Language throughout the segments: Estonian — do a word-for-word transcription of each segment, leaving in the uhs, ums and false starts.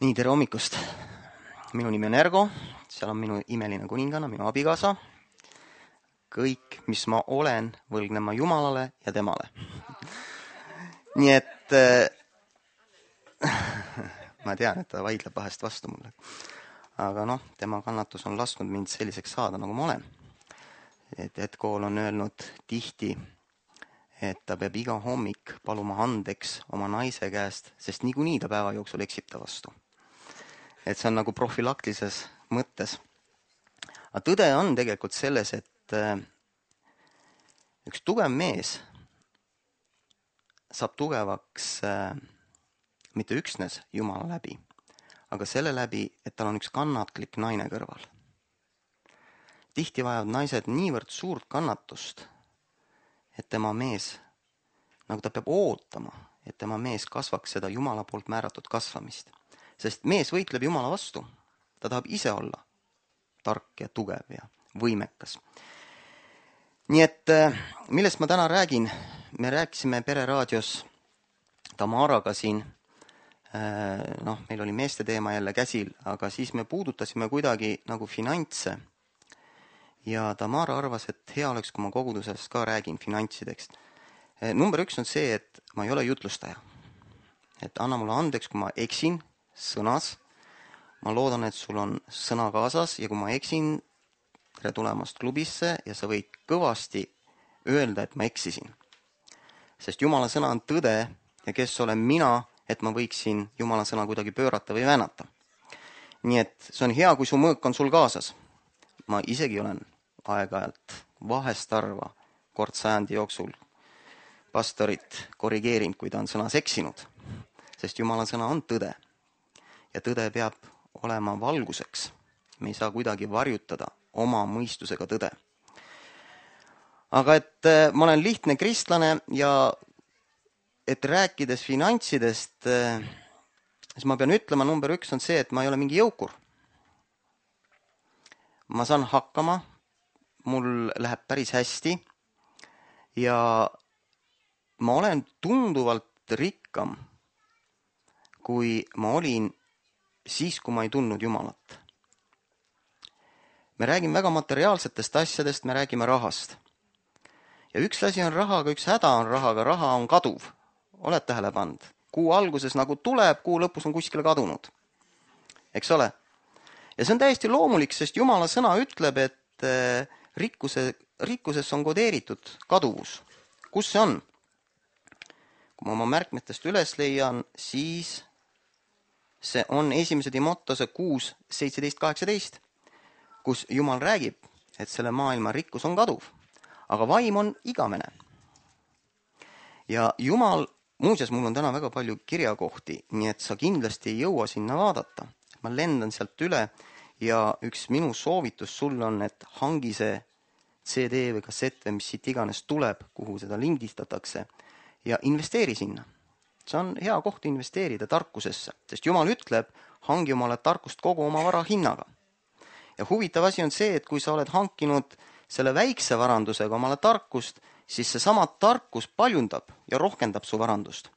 Nii, tere hommikust. Minu nimi on Ergo, seal on minu imeline kuninganna, minu abikaasa. Kõik, mis ma olen, võlgnen ma Jumalale ja temale. Nii et äh, ma tean, et ta vaidleb vahest vastu mulle. Aga noh, tema kannatus on lasknud mind selliseks saada, nagu ma olen. Et Edkool on öelnud tihti, et ta peab iga hommik paluma andeks oma naise käest, sest niikuinii ta päeva jooksul eksib ta vastu. Et see on nagu profülaktilises mõttes. Aga tõde on tegelikult selles, et üks tugev mees saab tugevaks mitte üksnes Jumala läbi, aga selle läbi, et tal on üks kannatlik naine kõrval. Tihti vajavad naised niivõrd suurt kannatust, et tema mees, nagu ta peab ootama, et tema mees kasvaks seda Jumala poolt määratud kasvamist. Sest mees võitleb Jumala vastu. Ta tahab ise olla tark ja tugev ja võimekas. Nii et millest ma täna räägin? Me rääkisime pereraadios Tamaraga siin. Noh, meil oli meeste teema jälle käsil, aga siis me puudutasime kuidagi nagu finantse. Ja Tamara arvas, et hea oleks, kui ma kogudusest ka räägin finantsidest. Number üks on see, et ma ei ole jutlustaja. Et anna mulle andeks, kui ma eksin sõnas. Ma loodan, et sul on sõna kaasas ja kui ma eksin, tere tulemast klubisse ja sa võid kõvasti öelda, et ma eksisin. Sest Jumala sõna on tõde ja kes olen mina, et ma võiksin Jumala sõna kuidagi pöörata või väänata. Nii et see on hea, kui su mõõk on sul kaasas. Ma isegi olen aeg-ajalt vahest arva kord sajandi jooksul pastorit korrigeerinud, kui ta on sõnas eksinud. Sest Jumala sõna on tõde. Ja tõde peab olema valguseks. Me ei saa kuidagi varjutada oma mõistusega tõde. Aga et ma olen lihtne kristlane ja et rääkides finantsidest, siis ma pean ütlema, number üks on see, et ma ei ole mingi jõukur. Ma saan hakkama, mul läheb päris hästi ja ma olen tunduvalt rikkam, kui ma olin siis, kui ma ei tundnud Jumalat. Me räägime väga materiaalsetest asjadest, me räägime rahast. Ja üks asi on raha, aga üks häda on rahaga, raha on kaduv. Oled tähele pannud? Kuu alguses nagu tuleb, kuu lõpus on kuskile kadunud. Eks ole? Ja see on täiesti loomulik, sest Jumala sõna ütleb, et rikkuse, rikkuses on kodeeritud kaduvus. Kus see on? Kui ma oma märkmetest üles leian, siis see on esimese Timotose kuus seitseteist kaheksateist, kus Jumal räägib, et selle maailma rikkus on kaduv, aga vaim on igavene. Ja Jumal, muuseas, mul on täna väga palju kirjakohti, nii et sa kindlasti ei jõua sinna vaadata. Ma lendan sealt üle ja üks minu soovitus sulle on, et hangi see C D või kassett või mis siit iganes tuleb, kuhu seda lindistatakse ja investeeri sinna. See on hea koht investeerida tarkusesse, sest Jumal ütleb, hangi omale tarkust kogu oma vara hinnaga. Ja huvitav asi on see, et kui sa oled hankinud selle väikse varandusega omale tarkust, siis see sama tarkus paljundab ja rohkendab su varandust.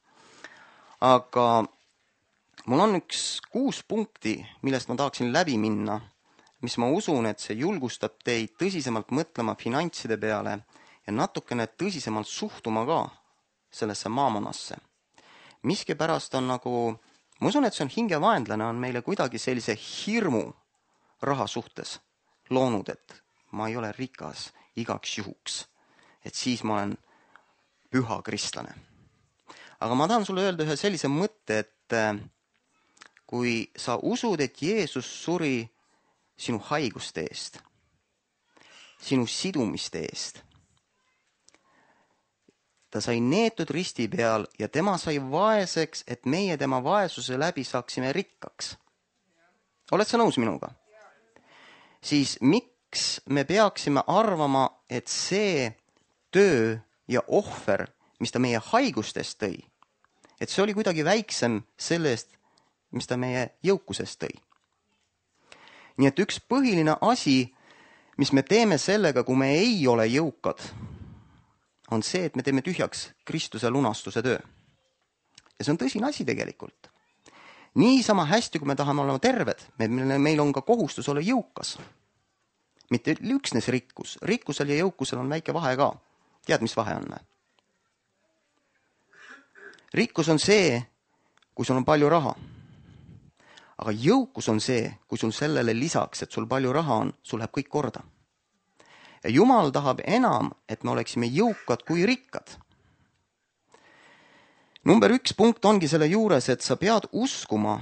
Aga mul on üks kuus punkti, millest ma tahaksin läbi minna, mis ma usun, et see julgustab teid tõsisemalt mõtlema finantside peale ja natukene tõsisemalt suhtuma ka sellesse maamanasse. Miski pärast on nagu, ma usun, et see on hingevaenlane, on meile kuidagi sellise hirmu raha suhtes loonud, et ma ei ole rikas igaks juhuks, et siis ma olen püha kristlane. Aga ma tahan sulle öelda ühe sellise mõtte, et kui sa usud, et Jeesus suri sinu haiguste eest, sinu sidumiste eest, ta sai neetud risti peal ja tema sai vaeseks, et meie tema vaesuse läbi saaksime rikkaks. Oled sa nõus minuga? Siis miks me peaksime arvama, et see töö ja ohver, mis ta meie haigustest tõi, et see oli kuidagi väiksem sellest, mis ta meie jõukusest tõi. Nii et üks põhiline asi, mis me teeme sellega, kui me ei ole jõukad, on see, et me teeme tühjaks Kristuse lunastuse töö. Ja see on tõsine asi tegelikult. Niisama hästi, kui me tahame olla terved, meil on ka kohustus olla jõukas. Mitte üksnes rikkus. Rikkusel ja jõukusel on väike vahe ka. Tead, mis vahe on? Rikkus on see, kui sul on palju raha. Aga jõukus on see, kui sul sellele lisaks, et sul palju raha on, sul läheb kõik korda. Ja Jumal tahab enam, et me oleksime jõukad kui rikkad. Number üks punkt ongi selle juures, et sa pead uskuma,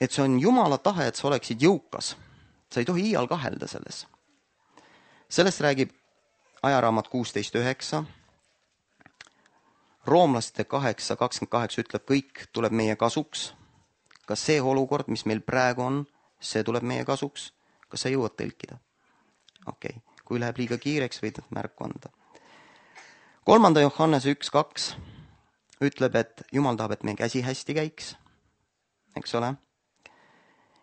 et see on Jumala tahe, et sa oleksid jõukas. Sa ei tohi iial kahelda selles. Sellest räägib ajaraamat kuusteist üheksa. Roomlaste kaheksa kakskümmend kaheksa ütleb, kõik tuleb meie kasuks. Kas see olukord, mis meil praegu on, see tuleb meie kasuks? Kas sa jõuad tõlkida? Okei, okay. Kui läheb liiga kiireks, võid märku anda. Kolmanda Johannese üks kaks ütleb, et Jumal tahab, et meie käsi hästi käiks. Eks ole?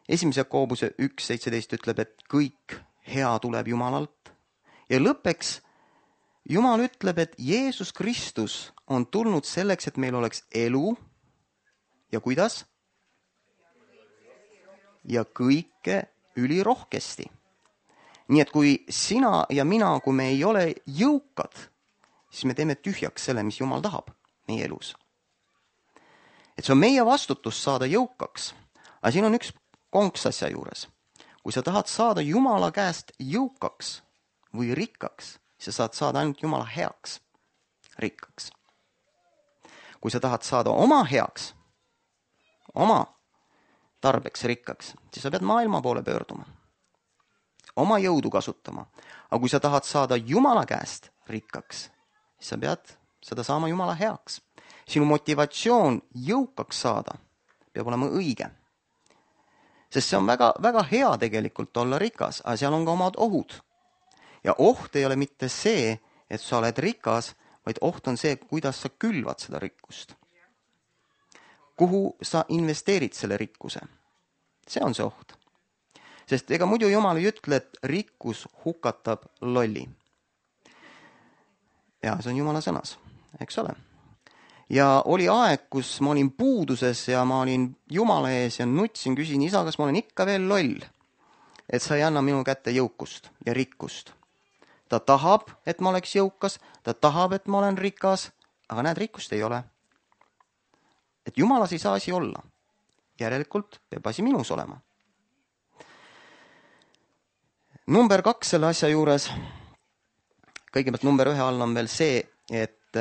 Esimese Jakoobuse üks seitseteist ütleb, et kõik hea tuleb Jumalalt. Ja lõppeks Jumal ütleb, et Jeesus Kristus on tulnud selleks, et meil oleks elu. Ja kuidas? Ja kõike ülirohkesti. Nii et kui sina ja mina, kui me ei ole jõukad, siis me teeme tühjaks selle, mis Jumal tahab meie elus. Et see on meie vastutus saada jõukaks. Aga siin on üks konks asja juures. Kui sa tahad saada Jumala käest jõukaks või rikkaks, siis sa saad saada ainult Jumala heaks rikkaks. Kui sa tahad saada oma heaks, oma tarbeks rikkaks, siis sa pead maailma poole pöörduma. Oma jõudu kasutama. Aga kui sa tahad saada Jumala käest rikkaks, siis sa pead seda saama Jumala heaks. Sinu motivatsioon jõukaks saada peab olema õige. Sest see on väga, väga hea tegelikult olla rikas, aga seal on ka omad ohud. Ja oht ei ole mitte see, et sa oled rikas, vaid oht on see, kuidas sa külvad seda rikkust. Kuhu sa investeerid selle rikkuse? See on see oht. Sest ega muidu Jumal ei ütle, et rikkus hukatab lolli. Ja see on Jumala sõnas, eks ole. Ja oli aeg, kus ma olin puuduses ja ma olin Jumala ees ja nutsin, küsin, isa, kas ma olen ikka veel loll, et sa ei anna minu kätte jõukust ja rikkust. Ta tahab, et ma oleks jõukas, ta tahab, et ma olen rikas, aga näed, rikkust ei ole. Et Jumalas ei saa asi olla. Järelikult peab asi minus olema. Number kaks selle asja juures, kõigepealt number ühe all on veel see, et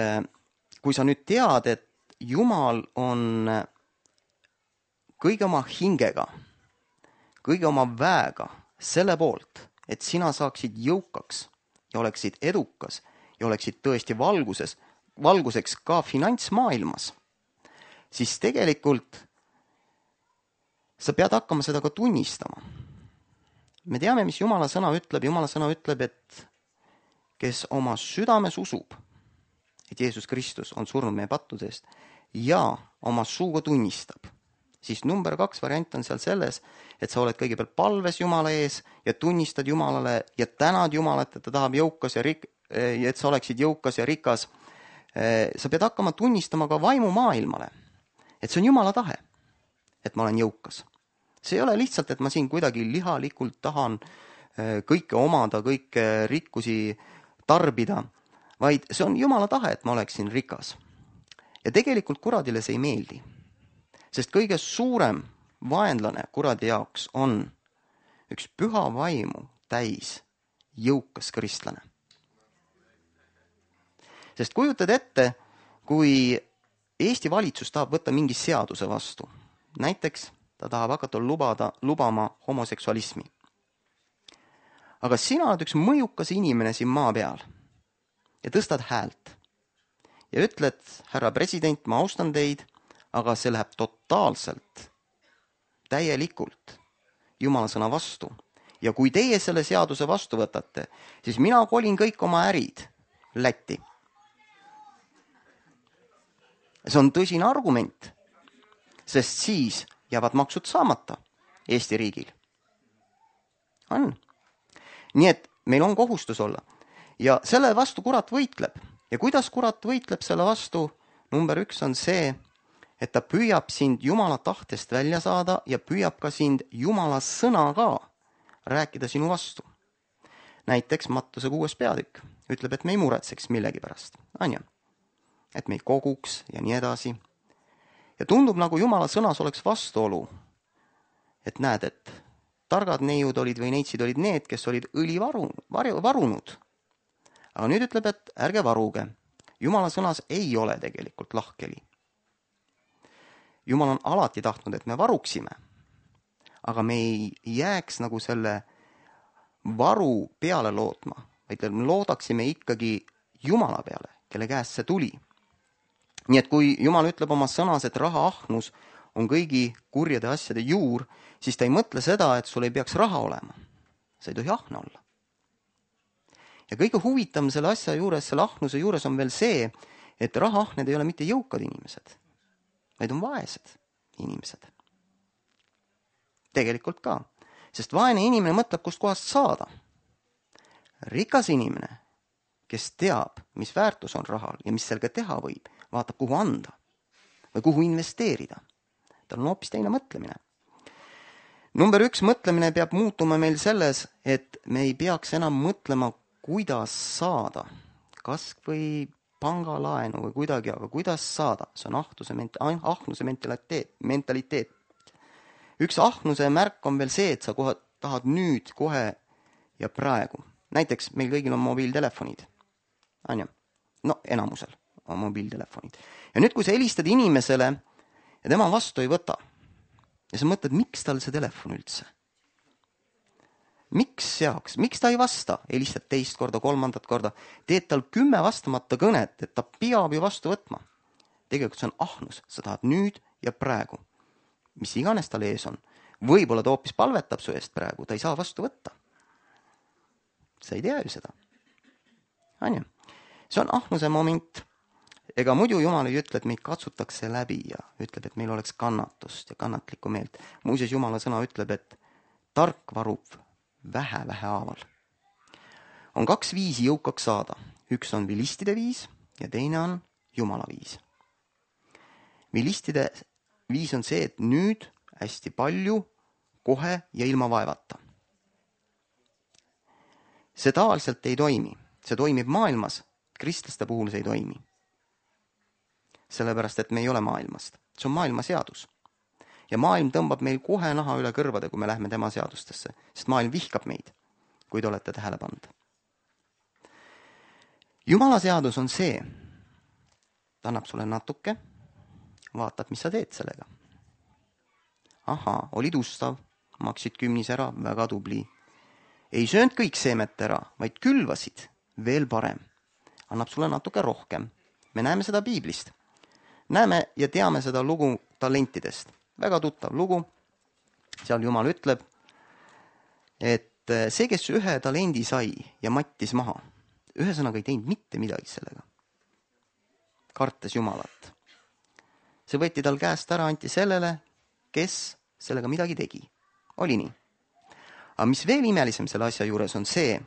kui sa nüüd tead, et Jumal on kõige oma hingega, kõige oma väega selle poolt, et sina saaksid jõukaks ja oleksid edukas ja oleksid tõesti valguses, valguseks ka finantsmaailmas, siis tegelikult sa pead hakkama seda ka tunnistama. Me teame, mis Jumala sõna ütleb. Jumala sõna ütleb, et kes oma südames usub, et Jeesus Kristus on surnud meie pattude eest ja oma suuga tunnistab, siis number kaks variant on seal selles, et sa oled kõigepealt palves Jumala ees ja tunnistad Jumalale ja tänad Jumalat, et ta tahab jõukas ja rik- et sa oleksid jõukas ja rikas. Sa pead hakkama tunnistama ka vaimu maailmale, et see on Jumala tahe, et ma olen jõukas. See ei ole lihtsalt, et ma siin kuidagi lihalikult tahan kõike omada, kõike rikkusi tarbida, vaid see on Jumala tahe, et ma oleksin rikas. Ja tegelikult kuradile see ei meeldi, sest kõige suurem vaenlane kuradi jaoks on üks püha vaimu täis jõukas kristlane. Sest kujutad ette, kui Eesti valitsus tahab võtta mingi seaduse vastu, näiteks ta tahab hakata lubada, lubama homoseksualismi. Aga sina oled üks mõjukas inimene siin maa peal ja tõstad häält ja ütled, härra president, ma austan teid, aga see läheb totaalselt, täielikult Jumala sõna vastu. Ja kui teie selle seaduse vastu võtate, siis mina kolin kõik oma ärid Lätti. See on tõsine argument, sest siis jäävad maksud saamata Eesti riigil. On. Nii et meil on kohustus olla. Ja selle vastu kurat võitleb. Ja kuidas kurat võitleb selle vastu? Number üks on see, et ta püüab sind Jumala tahtest välja saada ja püüab ka sind Jumala sõnaga rääkida sinu vastu. Näiteks Mattuse kuues peatükk ütleb, et me ei muretseks millegi pärast, on ju? Et me ei koguks ja nii edasi. Ja tundub, nagu Jumala sõnas oleks vastuolu. Et näed, et targad neiud olid või neitsid olid need, kes olid õli varu, varu, varunud. Aga nüüd ütleb, et ärge varuge. Jumala sõnas ei ole tegelikult lahkeli. Jumal on alati tahtnud, et me varuksime. Aga me ei jääks nagu selle varu peale lootma, vaid me loodaksime ikkagi Jumala peale, kelle käest see tuli. Nii et kui Jumal ütleb oma sõnas, et raha ahnus on kõigi kurjade asjade juur, siis ta ei mõtle seda, et sul ei peaks raha olema. Sa ei tohi ahne olla. Ja kõige huvitavam selle asja juures, selle ahnuse juures on veel see, et rahaahned ei ole mitte jõukad inimesed, vaid on vaesed inimesed. Tegelikult ka. Sest vaene inimene mõtleb, kust kohast saada. Rikas inimene, kes teab, mis väärtus on rahal ja mis sellega teha võib, vaatab, kuhu anda või kuhu investeerida. Tal on hoopis teine mõtlemine. Number üks mõtlemine peab muutuma meil selles, et me ei peaks enam mõtlema, kuidas saada, kas või pangalaenu või kuidagi, aga kuidas saada. See on ahnuse, ahnuse mentaliteet, mentaliteet. Üks ahnuse märk on veel see, et sa kohe tahad nüüd, kohe ja praegu. Näiteks meil kõigil on mobiiltelefonid. On ju? No enamusel on mobiiltelefonid. Ja nüüd, kui sa helistad inimesele ja tema vastu ei võta ja sa mõtled, miks tal see telefon üldse? Miks seaks? Miks ta ei vasta? Helistad teist korda, kolmandat korda. Teed tal kümme vastamata kõnet, et ta peab ju vastu võtma. Tegelikult see on ahnus. Sa tahad nüüd ja praegu. Mis iganes tal ees on. Võib-olla ta hoopis palvetab su eest praegu. Ta ei saa vastu võtta. Sa ei tea ju seda. On ju? See on ahnuse moment. Ega muidu Jumal ei ütle, et meid katsutakse läbi ja ütleb, et meil oleks kannatust ja kannatlikku meelt. Muuseas, Jumala sõna ütleb, et tark varub vähe-vähe haaval. On kaks viisi jõukaks saada. Üks on vilistide viis ja teine on Jumala viis. Vilistide viis on see, et nüüd hästi palju, kohe ja ilma vaevata. See tavaliselt ei toimi. See toimib maailmas. Kristlaste puhul see ei toimi. Sellepärast, et me ei ole maailmast. See on maailma seadus. Ja maailm tõmbab meil kohe naha üle kõrvade, kui me lähme tema seadustesse. Sest maailm vihkab meid, kui te olete tähele pannud. Jumala seadus on see. Ta annab sulle natuke, vaatab, mis sa teed sellega. Aha, olid ustav, maksid kümnis ära, väga tubli. Ei söönud kõik seemet ära, vaid külvasid, veel parem. Annab sulle natuke rohkem. Me näeme seda Piiblist. Näeme ja teame seda lugu talentidest. Väga tuttav lugu. Seal Jumal ütleb, et see, kes ühe talendi sai ja mattis maha, ühesõnaga ei teinud mitte midagi sellega. Kartes Jumalat. See võeti tal käest ära, anti sellele, kes sellega midagi tegi. Oli nii. Aga mis veel imelisem selle asja juures on see,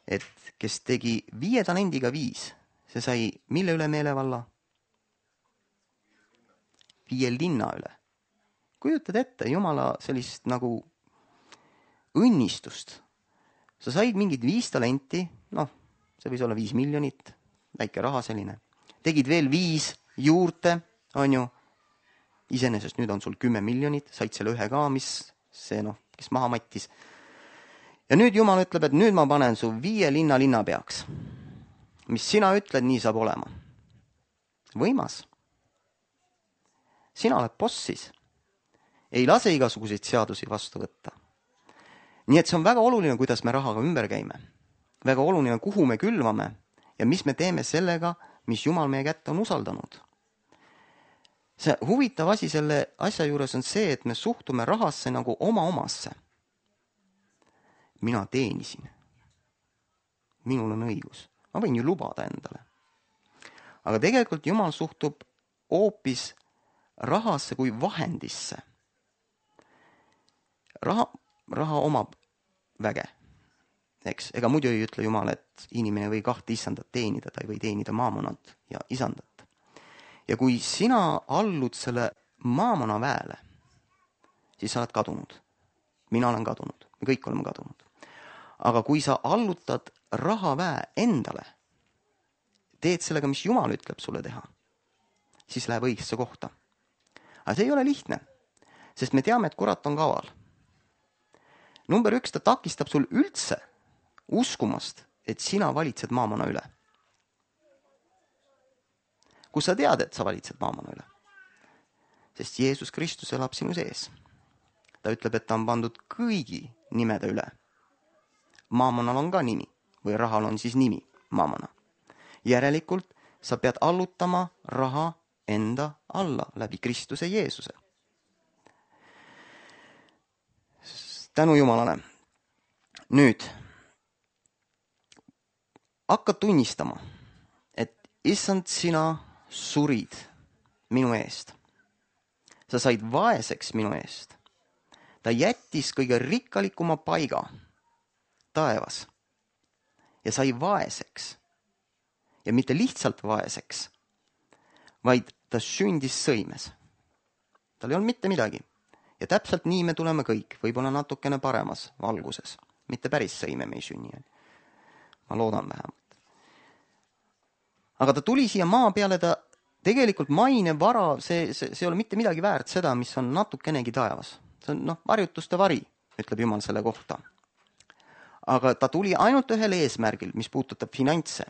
et kes tegi viie talendiga viis, see sai mille üle meelevalla? Viie linna üle. Kujutad ette Jumala sellist nagu õnnistust. Sa said mingid viis talenti, noh, see võis olla viis miljonit, väike raha selline. Tegid veel viis juurde, on ju, iseenesest nüüd on sul kümme miljonit, said selle ühe ka, mis see, noh, kes maha mattis. Ja nüüd Jumal ütleb, et nüüd ma panen su viie linna linna peaks. Mis sina ütled, nii saab olema. Võimas. Sina oled bossis. Ei lase igasuguseid seadusi vastu võtta. Nii et see on väga oluline, kuidas me rahaga ümber käime. Väga oluline, kuhu me külvame ja mis me teeme sellega, mis Jumal meie kätte on usaldanud. See huvitav asi selle asja juures on see, et me suhtume rahasse nagu oma omasse. Mina teenisin. Minul on õigus. Ma võin ju lubada endale. Aga tegelikult Jumal suhtub hoopis rahasse kui vahendisse. Raha, raha omab väge. Eks? Ega muidu ei ütle Jumal, et inimene või kahte isandat teenida, ta ei või teenida maamonat ja isandat. Ja kui sina allud selle maamona väele, siis sa oled kadunud. Mina olen kadunud. Me kõik oleme kadunud. Aga kui sa allutad rahaväe endale, teed sellega, mis Jumal ütleb sulle teha, siis läheb õigesse kohta. Aga see ei ole lihtne, sest me teame, et kurat on kaval. Number üks, ta takistab sul üldse uskumast, et sina valitsed maamona üle. Kus sa tead, et sa valitsed maamona üle? Sest Jeesus Kristus elab sinu sees. Ta ütleb, et ta on pandud kõigi nimede üle. Maamonal on ka nimi, või rahal on siis nimi, maamona. Järelikult sa pead allutama raha enda alla läbi Kristuse Jeesuse. Tänu Jumalale. Nüüd, hakka tunnistama, et issand, sina surid minu eest. Sa said vaeseks minu eest. Ta jättis kõige rikkalikuma paiga taevas ja sai vaeseks. Ja mitte lihtsalt vaeseks, vaid ta sündis sõimes. Tal ei olnud mitte midagi. Ja täpselt nii me tuleme kõik, võib-olla natukene paremas valguses. Mitte päris sõime me ei sünni. Ma loodan vähemalt. Aga ta tuli siia maa peale, ta tegelikult maine vara, see, see, see ei ole mitte midagi väärt seda, mis on natukenegi taevas. See on noh, varjutuste vari, ütleb Jumal selle kohta. Aga ta tuli ainult ühel eesmärgil, mis puudutab finantse.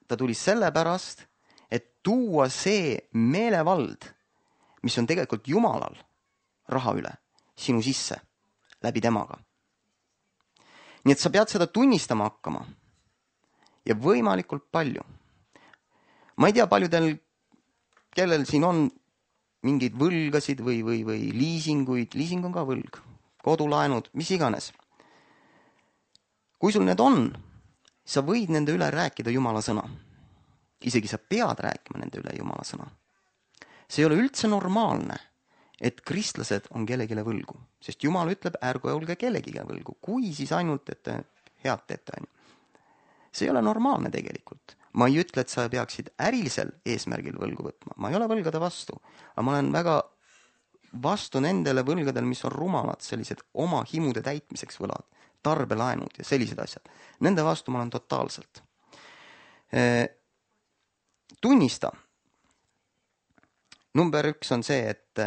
Ta tuli sellepärast, et tuua see meelevald, mis on tegelikult Jumalal raha üle, sinu sisse, läbi temaga. Nii et sa pead seda tunnistama hakkama. Ja võimalikult palju. Ma ei tea paljudel, kellel siin on mingeid võlgasid või, või, või liisinguid. Liising on ka võlg. Kodulaenud, mis iganes. Kui sul need on, sa võid nende üle rääkida Jumala sõna. Isegi sa pead rääkima nende üle Jumala sõna. See ei ole üldse normaalne, et kristlased on kellegile võlgu. Sest Jumal ütleb, ärgu olge kellegile võlgu. Kui siis ainult, et head teete. See ei ole normaalne tegelikult. Ma ei ütle, et sa peaksid ärilisel eesmärgil võlgu võtma. Ma ei ole võlgade vastu. Aga ma olen väga vastu nendele võlgadel, mis on rumalad, sellised oma himude täitmiseks võlad, tarbelaenud ja sellised asjad. Nende vastu ma olen totaalselt. Tunnista. Number üks on see, et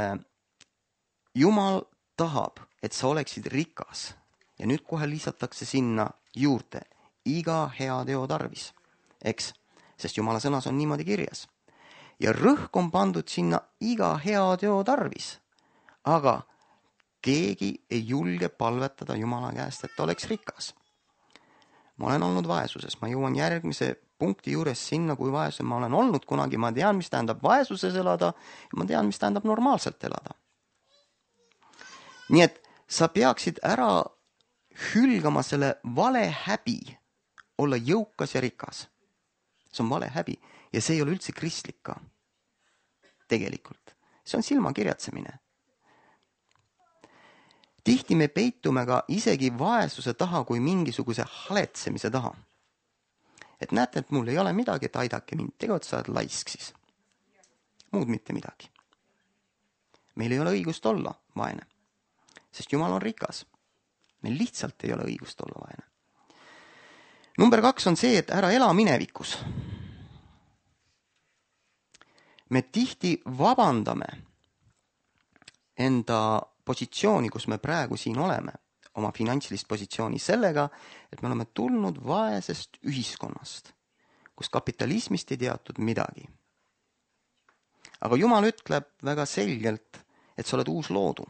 Jumal tahab, et sa oleksid rikas. Ja nüüd kohe lisatakse sinna juurde iga hea teo tarvis. Eks, sest Jumala sõnas on niimoodi kirjas. Ja rõhk on pandud sinna iga hea teo tarvis. Aga keegi ei julge palvetada Jumala käest, et ta oleks rikas. Ma olen olnud vaesuses. Ma jõuan järgmise punkti juures sinna, kui vaesus ma olen olnud kunagi. Ma tean, mis tähendab vaesuses elada. Ja ma tean, mis tähendab normaalselt elada. Nii et sa peaksid ära hülgama selle vale häbi olla jõukas ja rikas. See on vale häbi ja see ei ole üldse kristlik ka. Tegelikult. See on silmakirjatsemine. Tihti me peitume ka isegi vaesuse taha kui mingisuguse haletsemise taha. Et näete, et mul ei ole midagi, et aidake mind. Tegelikult sa oled laisk siis. Muud mitte midagi. Meil ei ole õigust olla vaene. Sest Jumal on rikas. Meil lihtsalt ei ole õigust olla vaene. Number kaks on see, et ära ela minevikus. Me tihti vabandame enda positsiooni, kus me praegu siin oleme, oma finantsilist positsiooni sellega, et me oleme tulnud vaesest ühiskonnast, kus kapitalismist ei teatud midagi. Aga Jumal ütleb väga selgelt, et sa oled uus loodu.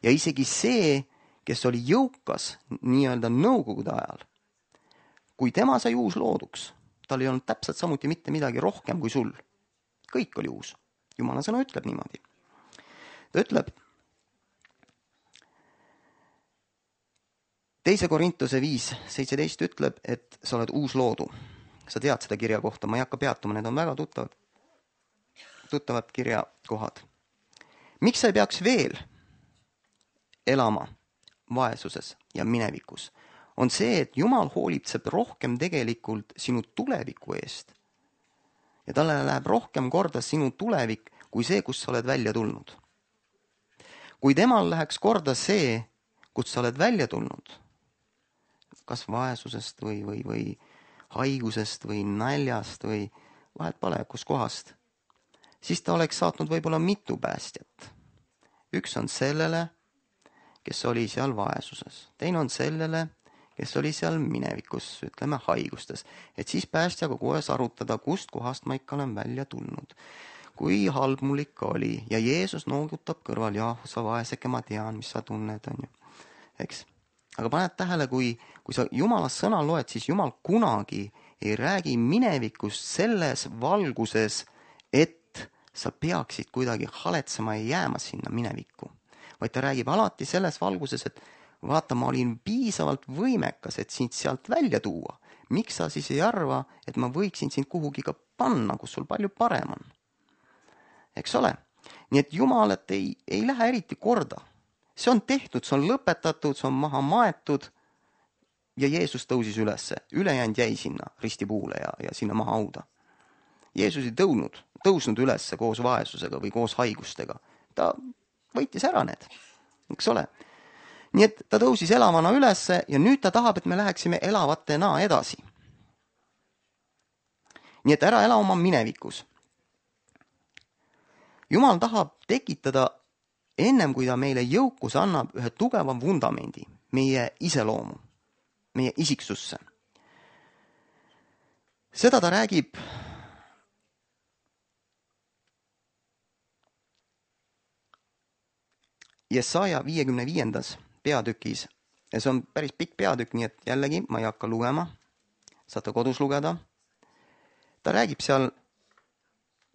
Ja isegi see, kes oli jõukas nii-öelda nõukogude ajal, kui tema sai uus looduks, tal ei olnud täpselt samuti mitte midagi rohkem kui sul. Kõik oli uus. Jumala sõna ütleb niimoodi. Ta ütleb, teise Korintuse viis seitseteist ütleb, et sa oled uus loodu. Sa tead seda kirja kohta, ma ei hakka peatuma, need on väga tuttavad, tuttavad kirjakohad. Miks sa ei peaks veel elama vaesuses ja minevikus? On see, et Jumal hoolitseb rohkem tegelikult sinu tuleviku eest ja talle läheb rohkem korda sinu tulevik kui see, kus sa oled välja tulnud. Kui temal läheks korda see, kus sa oled välja tulnud, kas vaesusest või, või, või haigusest või naljast või vahet pole, kus kohast, siis ta oleks saatnud võib-olla mitu päästjat. Üks on sellele, kes oli seal vaesuses. Teine on sellele, kes oli seal minevikus, ütleme haigustes. Et siis päästjaga kohes arutada, kust kohast ma ikka olen välja tulnud. Kui halb mul ikka oli. Ja Jeesus noogutab kõrval, jah, sa vaeseke, ma tean, mis sa tunned, on ju. Eks? Aga paned tähele, kui, kui sa Jumala sõna loed, siis Jumal kunagi ei räägi minevikust selles valguses, et sa peaksid kuidagi haletsema ja jääma sinna minevikku. Vaid ta räägib alati selles valguses, et vaata, ma olin piisavalt võimekas, et sind sealt välja tuua. Miks sa siis ei arva, et ma võiksin sind kuhugi ka panna, kus sul palju parem on? Eks ole? Nii et Jumalat ei, ei lähe eriti korda. See on tehtud, see on lõpetatud, see on maha maetud ja Jeesus tõusis ülesse. Ülejäänud jäi sinna ristipuule ja, ja sinna maha hauda. Jeesus ei tõunud, tõusnud ülesse koos vaesusega või koos haigustega. Ta võitis ära need, eks ole. Nii et ta tõusis elavana ülesse ja nüüd ta tahab, et me läheksime elavatena edasi. Nii et ära ela oma minevikus. Jumal tahab tekitada ennem, kui ta meile jõukus annab ühe tugeva vundamendi, meie iseloomu, meie isiksusse. Seda ta räägib Jesaja viiekümne viiendas peatükis ja see on päris pikk peatükk, nii et jällegi ma ei hakka lugema, saate kodus lugeda. Ta räägib seal,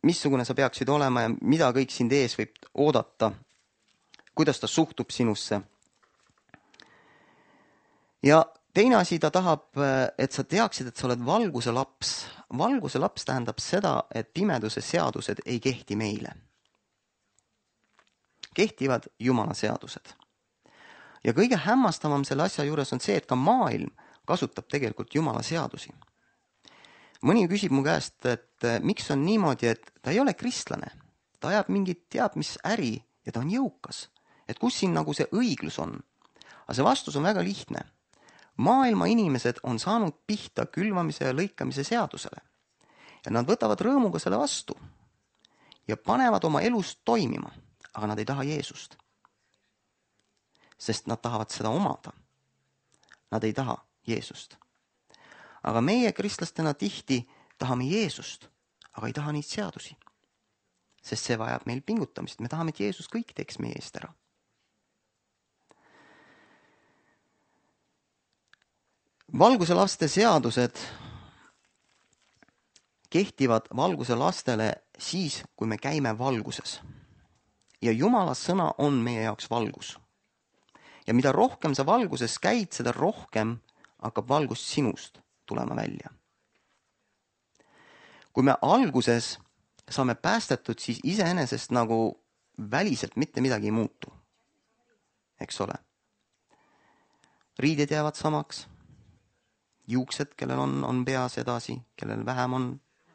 missugune sa peaksid olema ja mida kõik sind ees võib oodata, kuidas ta suhtub sinusse. Ja teine asi, ta tahab, et sa teaksid, et sa oled valguse laps. Valguse laps tähendab seda, et pimeduse seadused ei kehti meile. Kehtivad Jumala seadused. Ja kõige hämmastavam selle asja juures on see, et ka maailm kasutab tegelikult Jumala seadusi. Mõni küsib mu käest, et miks on niimoodi, et ta ei ole kristlane. Ta ajab mingit teab mis äri ja ta on jõukas. Et kus siin nagu see õiglus on? Aga see vastus on väga lihtne. Maailma inimesed on saanud pihta külvamise ja lõikamise seadusele. Ja nad võtavad rõõmuga selle vastu ja panevad oma elust toimima. Aga nad ei taha Jeesust. Sest nad tahavad seda omada. Nad ei taha Jeesust. Aga meie kristlastena tihti tahame Jeesust, aga ei taha neid seadusi. Sest see vajab meil pingutamist. Me tahame, et Jeesus kõik teeks meie eest ära. Valguse laste seadused kehtivad valguse lastele siis, kui me käime valguses. Ja Jumala sõna on meie jaoks valgus. Ja mida rohkem sa valguses käid, seda rohkem hakkab valgus sinust tulema välja. Kui me alguses saame päästetud, siis iseenesest nagu väliselt mitte midagi ei muutu. Eks ole? Riided jäävad samaks. Juuksed, kellel on, on peas edasi, kellel vähem on,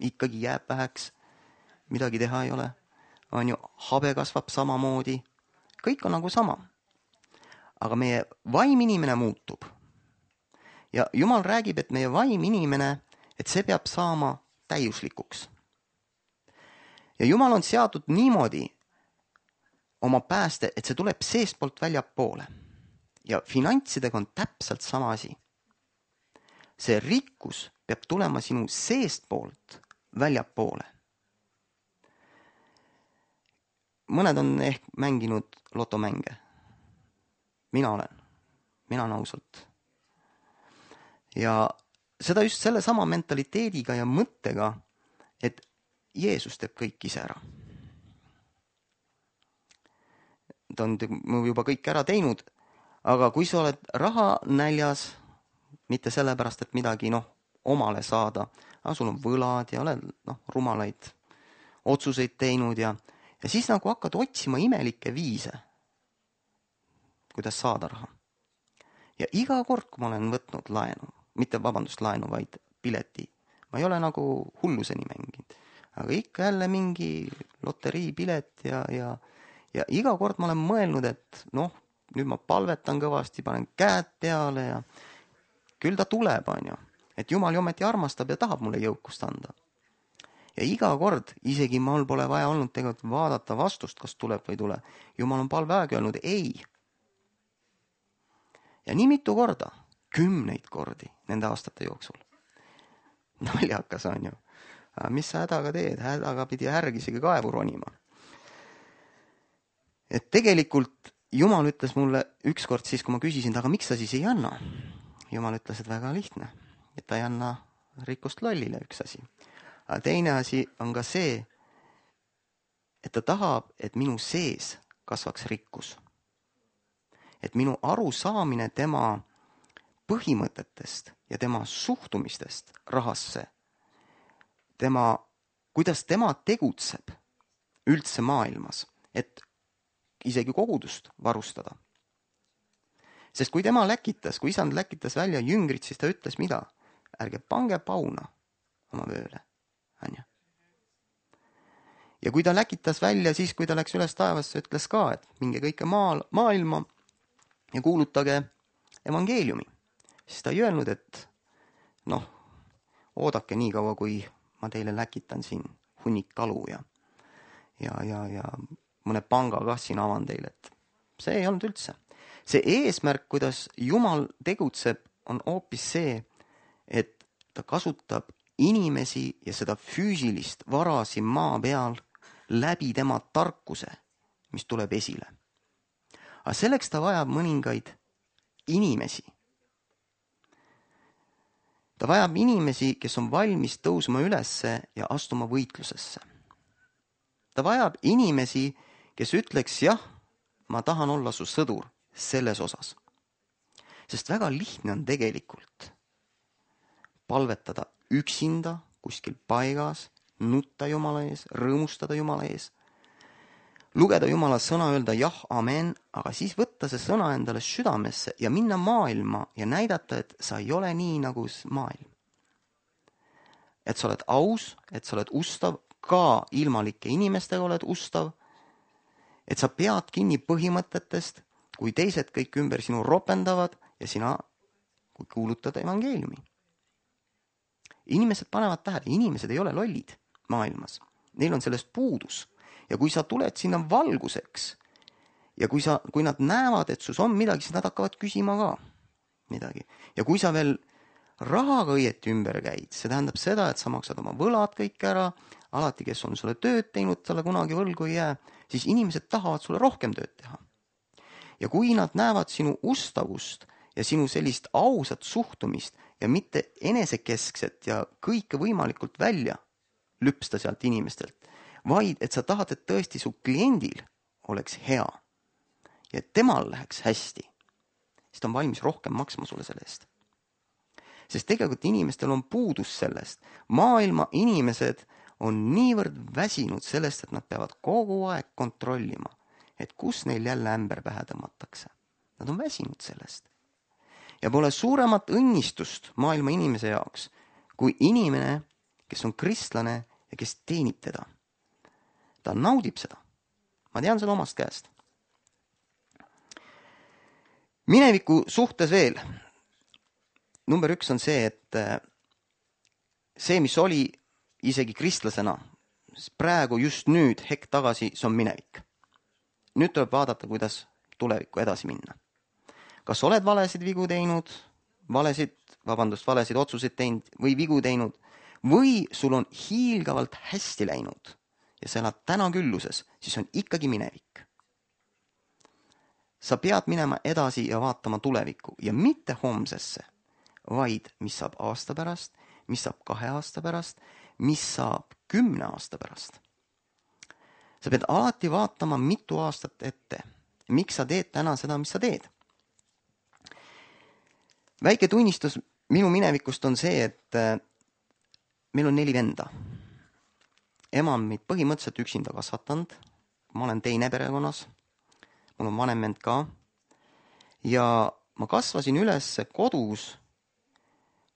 ikkagi jääb väheks. Midagi teha ei ole. On ju, habe kasvab samamoodi. Kõik on nagu sama. Aga meie vaim inimene muutub. Ja Jumal räägib, et meie vaim inimene, et see peab saama täiuslikuks. Ja Jumal on seatud niimoodi oma pääste, et see tuleb seestpoolt väljapoole. Ja finantsidega on täpselt sama asi. See rikkus peab tulema sinu seestpoolt väljapoole. Mõned on ehk mänginud lotomänge. Mina olen. Mina on ausalt. Ja seda just selle sama mentaliteediga ja mõttega, et Jeesus teeb kõik ise ära. Ta on juba kõik ära teinud, aga kui sa oled raha näljas, mitte sellepärast, et midagi noh, omale saada, aga sul on võlad ja oled noh, rumalaid otsuseid teinud ja Ja siis nagu hakkad otsima imelikke viise, kuidas saada raha. Ja iga kord, kui ma olen võtnud laenu, mitte vabandust laenu, vaid pileti, ma ei ole nagu hulluseni mänginud. aga ikka jälle mingi loteriipilet ja, ja, ja iga kord ma olen mõelnud, et noh, nüüd ma palvetan kõvasti, panen käed peale ja küll ta tuleb, on ju. Et Jumal ju ometi armastab ja tahab mulle jõukust anda. Ja iga kord, isegi mul pole vaja olnud tegelikult vaadata vastust, kas tuleb või ei tule. Jumal on palve aega öelnud ei. Ja nii mitu korda, kümneid kordi nende aastate jooksul. Naljakas on ju. Mis sa hädaga teed? Hädaga pidi härg isegi kaevu ronima. Et tegelikult Jumal ütles mulle ükskord siis, kui ma küsisin, aga miks sa siis ei anna? Jumal ütles, et väga lihtne. Et ta ei anna rikkust lollile, üks asi. Aga teine asi on ka see, et ta tahab, et minu sees kasvaks rikkus. Et minu arusaamine tema põhimõtetest ja tema suhtumistest rahasse, tema, kuidas tema tegutseb üldse maailmas, et isegi kogudust varustada. Sest kui tema läkitas, kui isand läkitas välja jüngrid, siis ta ütles mida? Ärge pange pauna oma vööle. Ja kui ta läkitas välja, siis kui ta läks üles taevasse, ütles ka, et minge kõike maal, maailma ja kuulutage evangeeliumi. Siis ta ei öelnud, et noh, oodake nii kaua, kui ma teile läkitan siin hunnik kalu ja, ja, ja, ja mõne panga kah siin avan teile, et see ei olnud üldse. See eesmärk, kuidas Jumal tegutseb, on hoopis see, et ta kasutab inimesi ja seda füüsilist vara siin maa peal läbi tema tarkuse, mis tuleb esile. Aga selleks ta vajab mõningaid inimesi. Ta vajab inimesi, kes on valmis tõusma ülesse ja astuma võitlusesse. Ta vajab inimesi, kes ütleks, jah, ma tahan olla su sõdur selles osas. Sest väga lihtne on tegelikult palvetada üksinda kuskil paigas, nutta Jumala ees, rõõmustada Jumala ees, lugeda Jumala sõna, öelda jah, amen, aga siis võtta see sõna endale südamesse ja minna maailma ja näidata, et sa ei ole nii nagu maailm. Et sa oled aus, et sa oled ustav, ka ilmalike inimestega oled ustav, et sa pead kinni põhimõtetest, kui teised kõik ümber sinu ropendavad ja sina kuulutad evangeeliumi. Inimesed panevad tähele, inimesed ei ole lollid maailmas. Neil on sellest puudus. Ja kui sa tuled sinna valguseks ja kui, sa, kui nad näevad, et sus on midagi, siis nad hakkavad küsima ka midagi. Ja kui sa veel rahaga õieti ümber käid, see tähendab seda, et sa maksad oma võlad kõik ära, alati, kes on sulle tööd teinud, talle kunagi võlgu ei jää, siis inimesed tahavad sulle rohkem tööd teha. Ja kui nad näevad sinu ustavust ja sinu sellist ausat suhtumist ja mitte enesekeskset ja kõike võimalikult välja lüpsta sealt inimestelt, vaid et sa tahad, et tõesti su kliendil oleks hea ja et temal läheks hästi, siis ta on valmis rohkem maksma sulle selle eest. Sest tegelikult inimestel on puudus sellest. Maailma inimesed on niivõrd väsinud sellest, et nad peavad kogu aeg kontrollima, et kus neil jälle ämber pähe tõmmatakse. Nad on väsinud sellest. Ja pole suuremat õnnistust maailma inimese jaoks, kui inimene, kes on kristlane ja kes teenib teda. Ta naudib seda. Ma tean seda omast käest. Mineviku suhtes veel. Number üks on see, et see, mis oli isegi kristlasena, praegu just nüüd, hetk tagasi, see on minevik. Nüüd tuleb vaadata, kuidas tulevikku edasi minna. Kas oled valesid vigu teinud, valesid, vabandust, valesid otsuseid teinud või vigu teinud, või sul on hiilgavalt hästi läinud ja sa elad täna külluses, siis on ikkagi minevik. Sa pead minema edasi ja vaatama tulevikku ja mitte homsesse, vaid mis saab aasta pärast, mis saab kahe aasta pärast, mis saab kümne aasta pärast. Sa pead alati vaatama mitu aastat ette. Miks sa teed täna seda, mis sa teed? Väike tunnistus minu minevikust on see, et meil on neli venda. Ema on meid põhimõtteliselt üksinda kasvatanud. Ma olen teine perekonnas. Mul on vanem vend ka. Ja ma kasvasin üles kodus,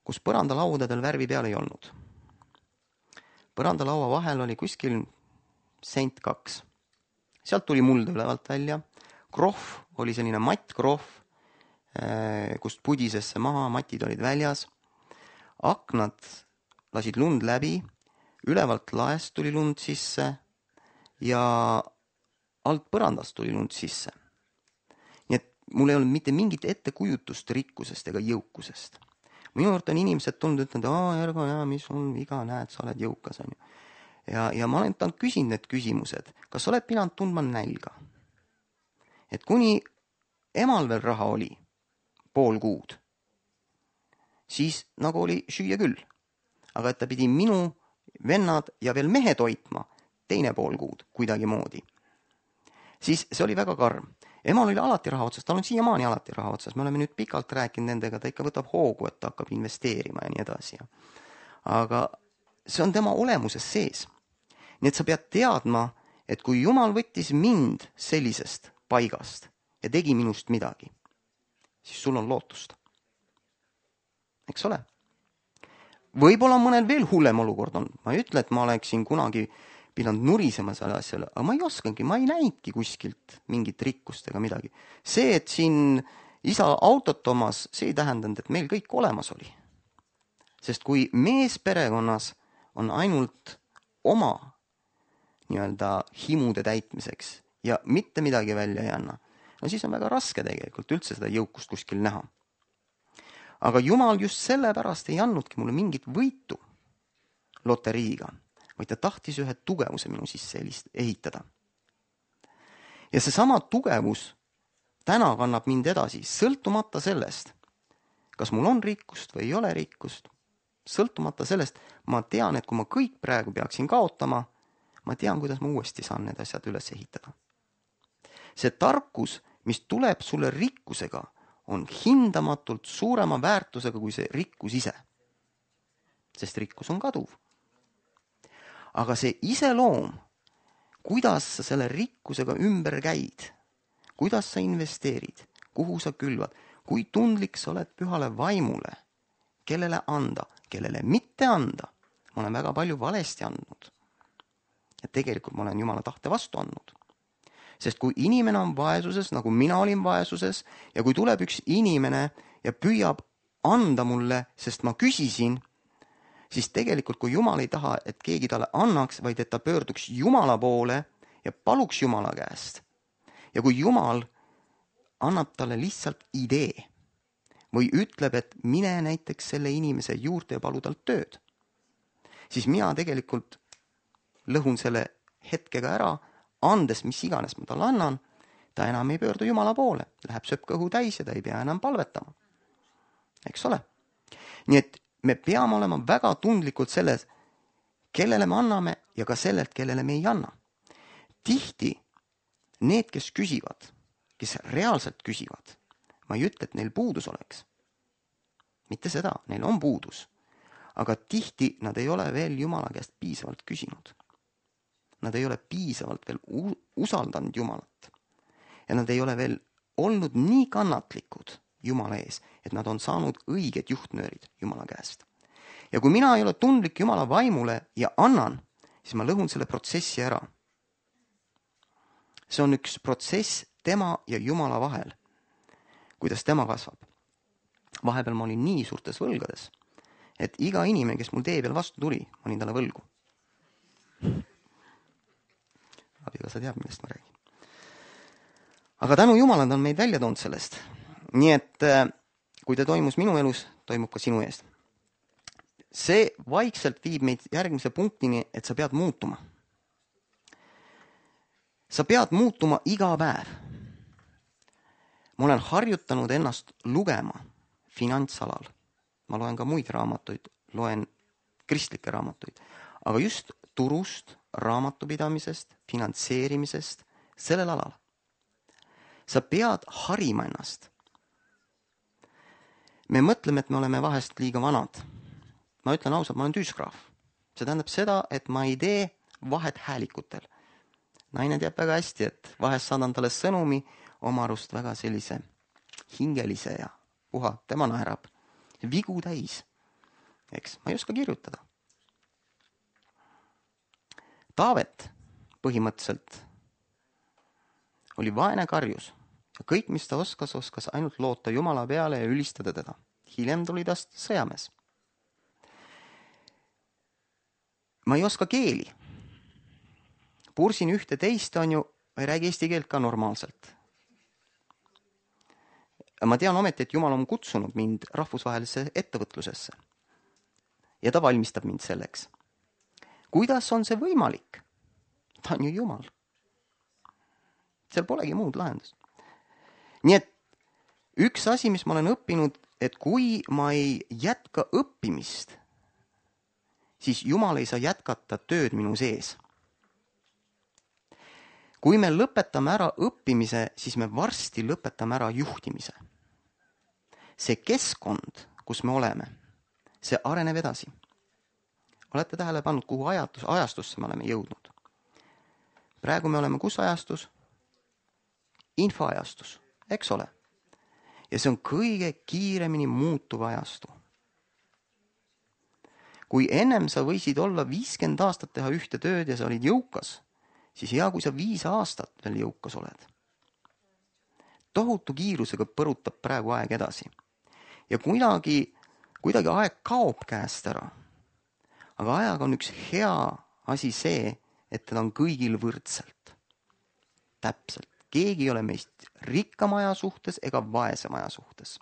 kus põrandalaudadel värvi peal ei olnud. põrandalaua vahel oli kuskil sent kaks. Sealt tuli muld ülevalt välja. Krohv oli selline mattkrohv, kust pudisesse maha, matid olid väljas. Aknad lasid lund läbi, ülevalt laest tuli lund sisse ja alt põrandast tuli lund sisse. Nii et mul ei olnud mitte mingit ettekujutust rikkusest ega jõukusest. Minu juurde on inimesed tulnud ütlenud, aa, Ergo, ja, mis on viga, näed, sa oled jõukas. On ju. Ja, ja ma olen tanud küsinud need küsimused, kas oled pidanud tundma nälga? Et kuni emal veel raha oli, pool kuud, siis nagu oli süüa küll. Aga et ta pidi minu vennad ja veel mehe toitma teine pool kuud kuidagi moodi. Siis see oli väga karm. Emal oli alati raha otsas, tal on siiamaani alati raha otsas. Me oleme nüüd pikalt rääkinud nendega, ta ikka võtab hoogu, et ta hakkab investeerima ja nii edasi. Aga see on tema olemuses sees. Nii et sa pead teadma, et kui Jumal võttis mind sellisest paigast ja tegi minust midagi, siis sul on lootust. Eks ole? Võib-olla mõnel veel hullem olukord on. Ma ei ütle, et ma oleksin kunagi pidanud nurisema selle asjale, aga ma ei oskangi, ma ei näidki kuskilt mingit rikkust ega midagi. See, et siin isa autot omas, see ei tähendanud, et meil kõik olemas oli. Sest kui mees perekonnas on ainult oma nii-öelda himude täitmiseks ja mitte midagi välja ei anna, no siis on väga raske tegelikult üldse seda jõukust kuskil näha. Aga Jumal just sellepärast ei andnudki mulle mingit võitu loteriiga, vaid ta tahtis ühe tugevuse minu sisse ehitada. Ja see sama tugevus täna kannab mind edasi, sõltumata sellest, kas mul on rikkust või ei ole rikkust. Sõltumata sellest, ma tean, et kui ma kõik praegu peaksin kaotama, ma tean, kuidas ma uuesti saan need asjad üles ehitada. See tarkus, mis tuleb sulle rikkusega, on hindamatult suurema väärtusega kui see rikkus ise. Sest rikkus on kaduv. Aga see iseloom, kuidas sa selle rikkusega ümber käid, kuidas sa investeerid, kuhu sa külvad, kui tundlik sa oled pühale vaimule, kellele anda, kellele mitte anda. Ma olen väga palju valesti andnud. Ja tegelikult ma olen Jumala tahte vastu andnud. Sest kui inimene on vaesuses, nagu mina olin vaesuses, ja kui tuleb üks inimene ja püüab anda mulle, sest ma küsisin, siis tegelikult kui Jumal ei taha, et keegi talle annaks, vaid et ta pöörduks Jumala poole ja paluks Jumala käest. Ja kui Jumal annab talle lihtsalt idee või ütleb, et mine näiteks selle inimese juurde ja palu talt tööd, siis mina tegelikult lõhun selle hetkega ära, andes mis iganes ma talle annan, ta enam ei pöördu Jumala poole, läheb sööb kõhu täis ja ta ei pea enam palvetama. Eks ole? Nii et me peame olema väga tundlikult selles, kellele me anname ja ka sellelt, kellele me ei anna. Tihti need, kes küsivad, kes reaalselt küsivad, ma ei ütle, et neil puudus oleks. Mitte seda, neil on puudus. Aga tihti nad ei ole veel Jumala käest piisavalt küsinud. Nad ei ole piisavalt veel usaldanud Jumalat. Ja nad ei ole veel olnud nii kannatlikud Jumala ees, et nad on saanud õiged juhtnöörid Jumala käest. Ja kui mina ei ole tundlik Jumala vaimule ja annan, siis ma lõhun selle protsessi ära. See on üks protsess tema ja Jumala vahel, kuidas tema kasvab. Vahepeal ma olin nii suurtes võlgades, et iga inimene, kes mul tee peal vastu tuli, ma olin talle võlgu. Abikaasa teab, millest ma räägin. Aga tänu Jumalad on meid välja toonud sellest. Nii et kui ta toimus minu elus, toimub ka sinu eest. See vaikselt viib meid järgmise punktini, et sa pead muutuma. Sa pead muutuma iga päev. Ma olen harjutanud ennast lugema finantsalal. Ma loen ka muid raamatuid, loen kristlikke raamatuid. Aga just turust, raamatupidamisest, finantseerimisest, sellel alal. Sa pead harima ennast. Me mõtleme, et me oleme vahest liiga vanad. Ma ütlen ausalt, ma olen tüüsgraaf. See tähendab seda, et ma ei tee vahet häälikutel. Naine teab väga hästi, et vahest saadan talle sõnumi oma arust väga sellise hingelise ja puha, tema naerab. Vigu täis. Eks, ma ei oska kirjutada. Taavet põhimõtteliselt oli vaene karjus ja kõik, mis ta oskas, oskas ainult loota Jumala peale ja ülistada teda. Hiljem tuli tast sõjamees. Ma ei oska keeli. Pursin ühte teist, on ju, ei räägi eesti keelt ka normaalselt. Ma tean ometi, et Jumal on kutsunud mind rahvusvahelisse ettevõtlusesse. Ja ta valmistab mind selleks. Kuidas on see võimalik? Ta on ju Jumal. Seal polegi muud lahendust. Nii et üks asi, mis ma olen õppinud, et kui ma ei jätka õppimist, siis Jumal ei saa jätkata tööd minu sees. Kui me lõpetame ära õppimise, siis me varsti lõpetame ära juhtimise. See keskkond, kus me oleme, see areneb edasi. Olete tähele pannud, kuhu ajatus, ajastusse me oleme jõudnud? Praegu me oleme kus ajastus? Infoajastus, eks ole? Ja see on kõige kiiremini muutuv ajastu. Kui ennem sa võisid olla viiskümmend aastat teha ühte tööd ja sa olid jõukas, siis hea, kui sa viis aastat veel jõukas oled. Tohutu kiirusega põrutab praegu aeg edasi. Ja kuidagi, kuidagi aeg kaob käest ära. Aga ajaga on üks hea asi see, et teda on kõigil võrdselt. Täpselt. Keegi ei ole meist rikkam aja suhtes ega vaesem aja suhtes.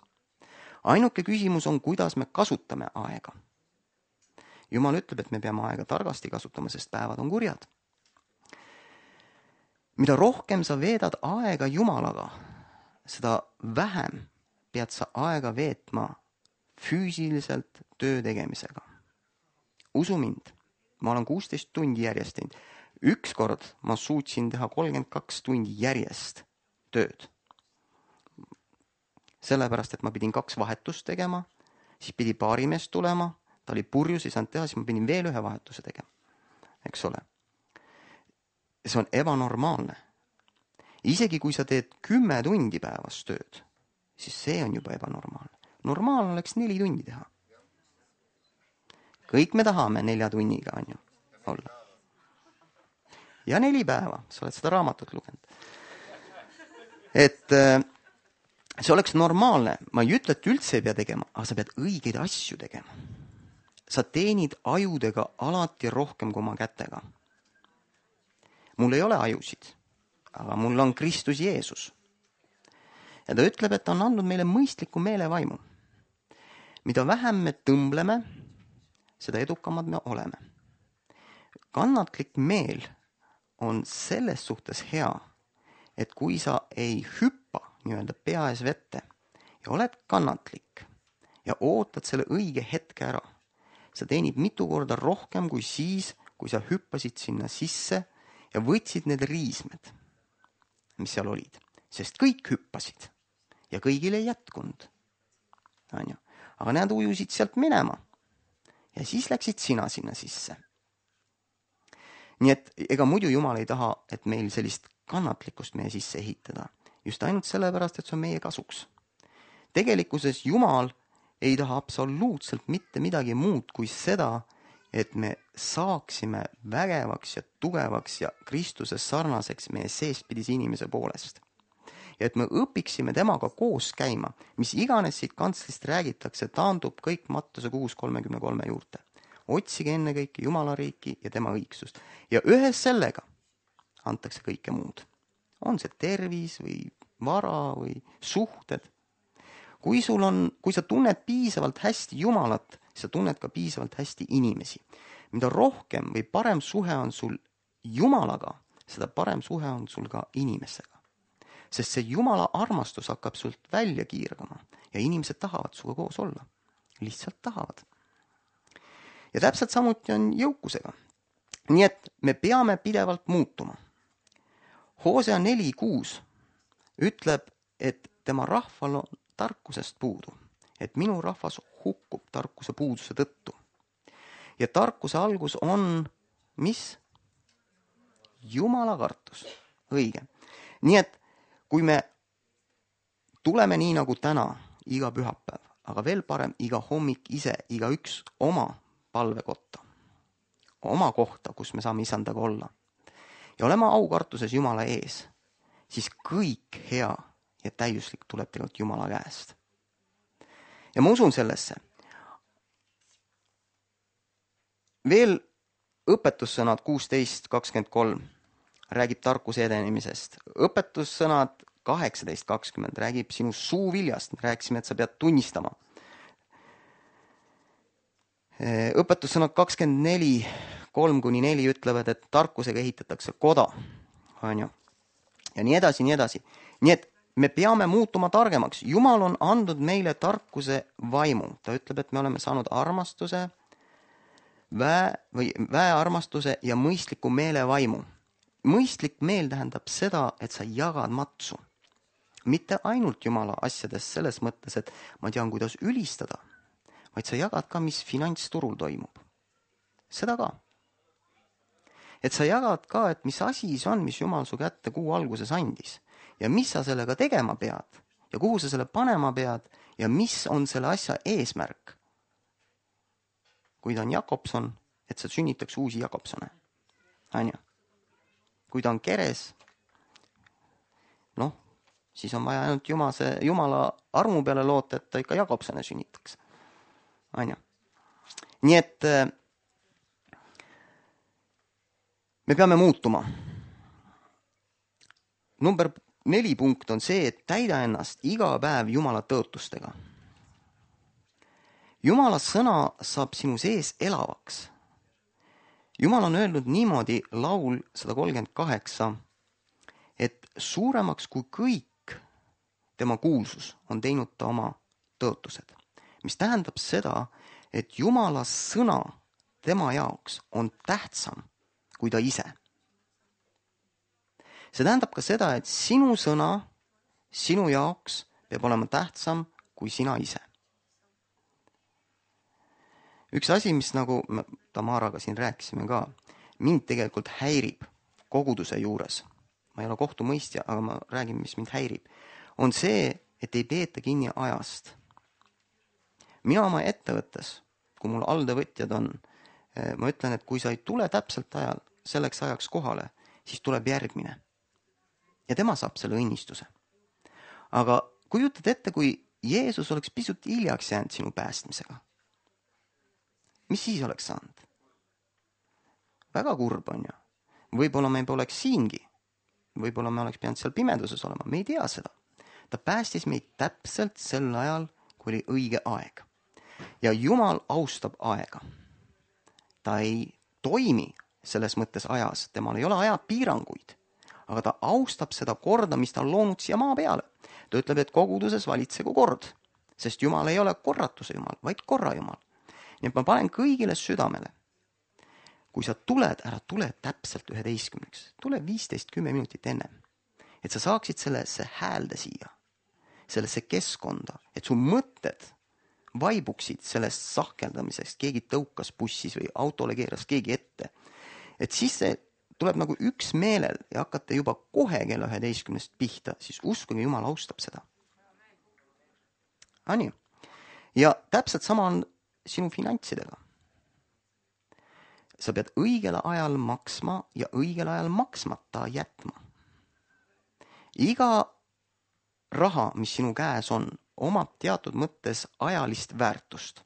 Ainuke küsimus on, kuidas me kasutame aega. Jumal ütleb, et me peame aega targasti kasutama, sest päevad on kurjad. Mida rohkem sa veedad aega Jumalaga, seda vähem pead sa aega veetma füüsiliselt töö tegemisega. Usu mind, ma olen kuusteist tundi järjest teinud. Üks kord ma suutsin teha kolmkümmend kaks tundi järjest tööd. Sellepärast, et ma pidin kaks vahetust tegema, siis pidi paarimees tulema, ta oli purjus, ei saanud teha, siis ma pidin veel ühe vahetuse tegema. Eks ole? See on ebanormaalne. Isegi kui sa teed kümme tundi päevas tööd, siis see on juba ebanormaalne. Normaalne oleks neli tundi teha. Kõik me tahame nelja tunniga, on ju, olla. Ja neli päeva, sa oled seda raamatut lugenud. Et see oleks normaalne. Ma ei ütle, et üldse ei pea tegema, aga sa pead õigeid asju tegema. Sa teenid ajudega alati rohkem kui oma kätega. Mul ei ole ajusid, aga mul on Kristus Jeesus. Ja ta ütleb, et ta on andnud meile mõistliku meelevaimu. Mida vähem me tõmbleme, seda edukamad me oleme. Kannatlik meel on selles suhtes hea, et kui sa ei hüppa nii-öelda pea ees vette ja oled kannatlik ja ootad selle õige hetke ära, sa teenid mitu korda rohkem kui siis, kui sa hüppasid sinna sisse ja võtsid need riismed, mis seal olid. Sest kõik hüppasid ja kõigil ei jätkunud. Aga need ujusid sealt minema ja siis läksid sina sinna sisse. Nii et ega muidu Jumal ei taha, et meil sellist kannatlikkust meie sisse ehitada. Just ainult sellepärast, et see on meie kasuks. Tegelikkuses Jumal ei taha absoluutselt mitte midagi muud kui seda, et me saaksime vägevaks ja tugevaks ja Kristuse sarnaseks meie seespidise inimese poolest. Ja et me õpiksime temaga koos käima, mis iganes siit kantslist räägitakse, taandub kõik Mattuse kuus kolmekümne kolme juurde. Otsige enne kõike Jumala riiki ja tema õigsust. Ja ühes sellega antakse kõike muud. On see tervis või vara või suhted. Kui, sul on, kui sa tunned piisavalt hästi Jumalat, siis sa tunned ka piisavalt hästi inimesi. Mida rohkem või parem suhe on sul Jumalaga, seda parem suhe on sul ka inimesega. Sest see Jumala armastus hakkab sult välja kiirgama ja inimesed tahavad suga koos olla. Lihtsalt tahavad. Ja täpselt samuti on jõukusega. Nii et me peame pidevalt muutuma. Hosea neli kuus ütleb, et tema rahval on tarkusest puudu, et minu rahvas hukkub tarkuse puuduse tõttu. Ja tarkuse algus on, mis? Jumala kartus. Õige. Nii et kui me tuleme nii nagu täna, iga pühapäev, aga veel parem iga hommik ise, iga üks oma palvekotta. oma kohta, kus me saame isandaga olla ja oleme aukartuses Jumala ees, siis kõik hea ja täiuslik tuleb tegelikult Jumala käest. Ja ma usun sellesse. Veel õpetussõnad kuusteist kakskümmend kolm räägib tarkuse edenemisest. Õpetussõnad kaheksateist kakskümmend räägib sinu suuviljast. Me rääkisime, et sa pead tunnistama. Õpetussõnad kakskümmend neli kolm kuni neli ütlevad, et tarkusega ehitatakse koda. On ju? Ja nii edasi, nii edasi. Nii et me peame muutuma targemaks. Jumal on andnud meile tarkuse vaimu. Ta ütleb, et me oleme saanud armastuse, väe, või väearmastuse ja mõistliku meele vaimu. Mõistlik meel tähendab seda, et sa jagad matsu. Mitte ainult Jumala asjades selles mõttes, et ma tean, kuidas ülistada, vaid sa jagad ka, mis finantsturul toimub. Seda ka. Et sa jagad ka, et mis asi see on, mis Jumal su kätte kuu alguses andis. Ja mis sa sellega tegema pead ja kuhu sa selle panema pead ja mis on selle asja eesmärk. Kui ta on Jakobson, et sa sünnitaks uusi Jakobsone. Anja. Kui ta on keres, noh, siis on vaja ainult Jumase, Jumala armu peale loota, et ta ikka Jakobsone sünnitaks. Anja. Nii et me peame muutuma. Number neli punkt on see, et täida ennast iga päev Jumala tõotustega. Jumala sõna saab sinu sees elavaks. Jumal on öelnud niimoodi laul sada kolmkümmend kaheksa, et suuremaks kui kõik tema kuulsus on teinud ta oma tõotused. Mis tähendab seda, et Jumala sõna tema jaoks on tähtsam kui ta ise. See tähendab ka seda, et sinu sõna sinu jaoks peab olema tähtsam kui sina ise. Üks asi, mis nagu me Tamaraga siin rääkisime ka, mind tegelikult häirib koguduse juures. Ma ei ole kohtumõistja, aga ma räägin, mis mind häirib. On see, et ei peeta kinni ajast. Mina oma ettevõttes, kui mul alltöövõtjad on, ma ütlen, et kui sa ei tule täpselt ajal, selleks ajaks kohale, siis tuleb järgmine. Ja tema saab selle õnnistuse. Aga kujutad ette, kui Jeesus oleks pisut hiljaks jäänud sinu päästmisega. Mis siis oleks saanud? Väga kurb on ju. Võib-olla me poleks siingi. Võib-olla me oleks pidanud seal pimeduses olema. Me ei tea seda. Ta päästis meid täpselt sel ajal, kui oli õige aeg. Ja Jumal austab aega. Ta ei toimi selles mõttes ajas. Temal ei ole ajapiiranguid. Aga ta austab seda korda, mis ta on loonud siia maa peale. Ta ütleb, et koguduses valitsegu kord. Sest Jumal ei ole korratuse Jumal, vaid korra Jumal. Nii et ma panen kõigile südamele. Kui sa tuled, ära tule täpselt üheteistkümneks. Tule viisteist kümme minutit enne. Et sa saaksid sellesse häälde siia. Sellesse keskkonda. Et su mõtted vaibuksid sellest sahkeldamisest. Keegi tõukas bussis või autole keeras keegi ette. Et siis see tuleb nagu üks meelel ja hakkate juba kohe kella üheteistkümnest pihta. Siis uskuge, Jumal austab seda. Ani. Ja täpselt sama on sinu finantsidega. Sa pead õigel ajal maksma ja õigel ajal maksmata jätma. Iga raha, mis sinu käes on, omab teatud mõttes ajalist väärtust.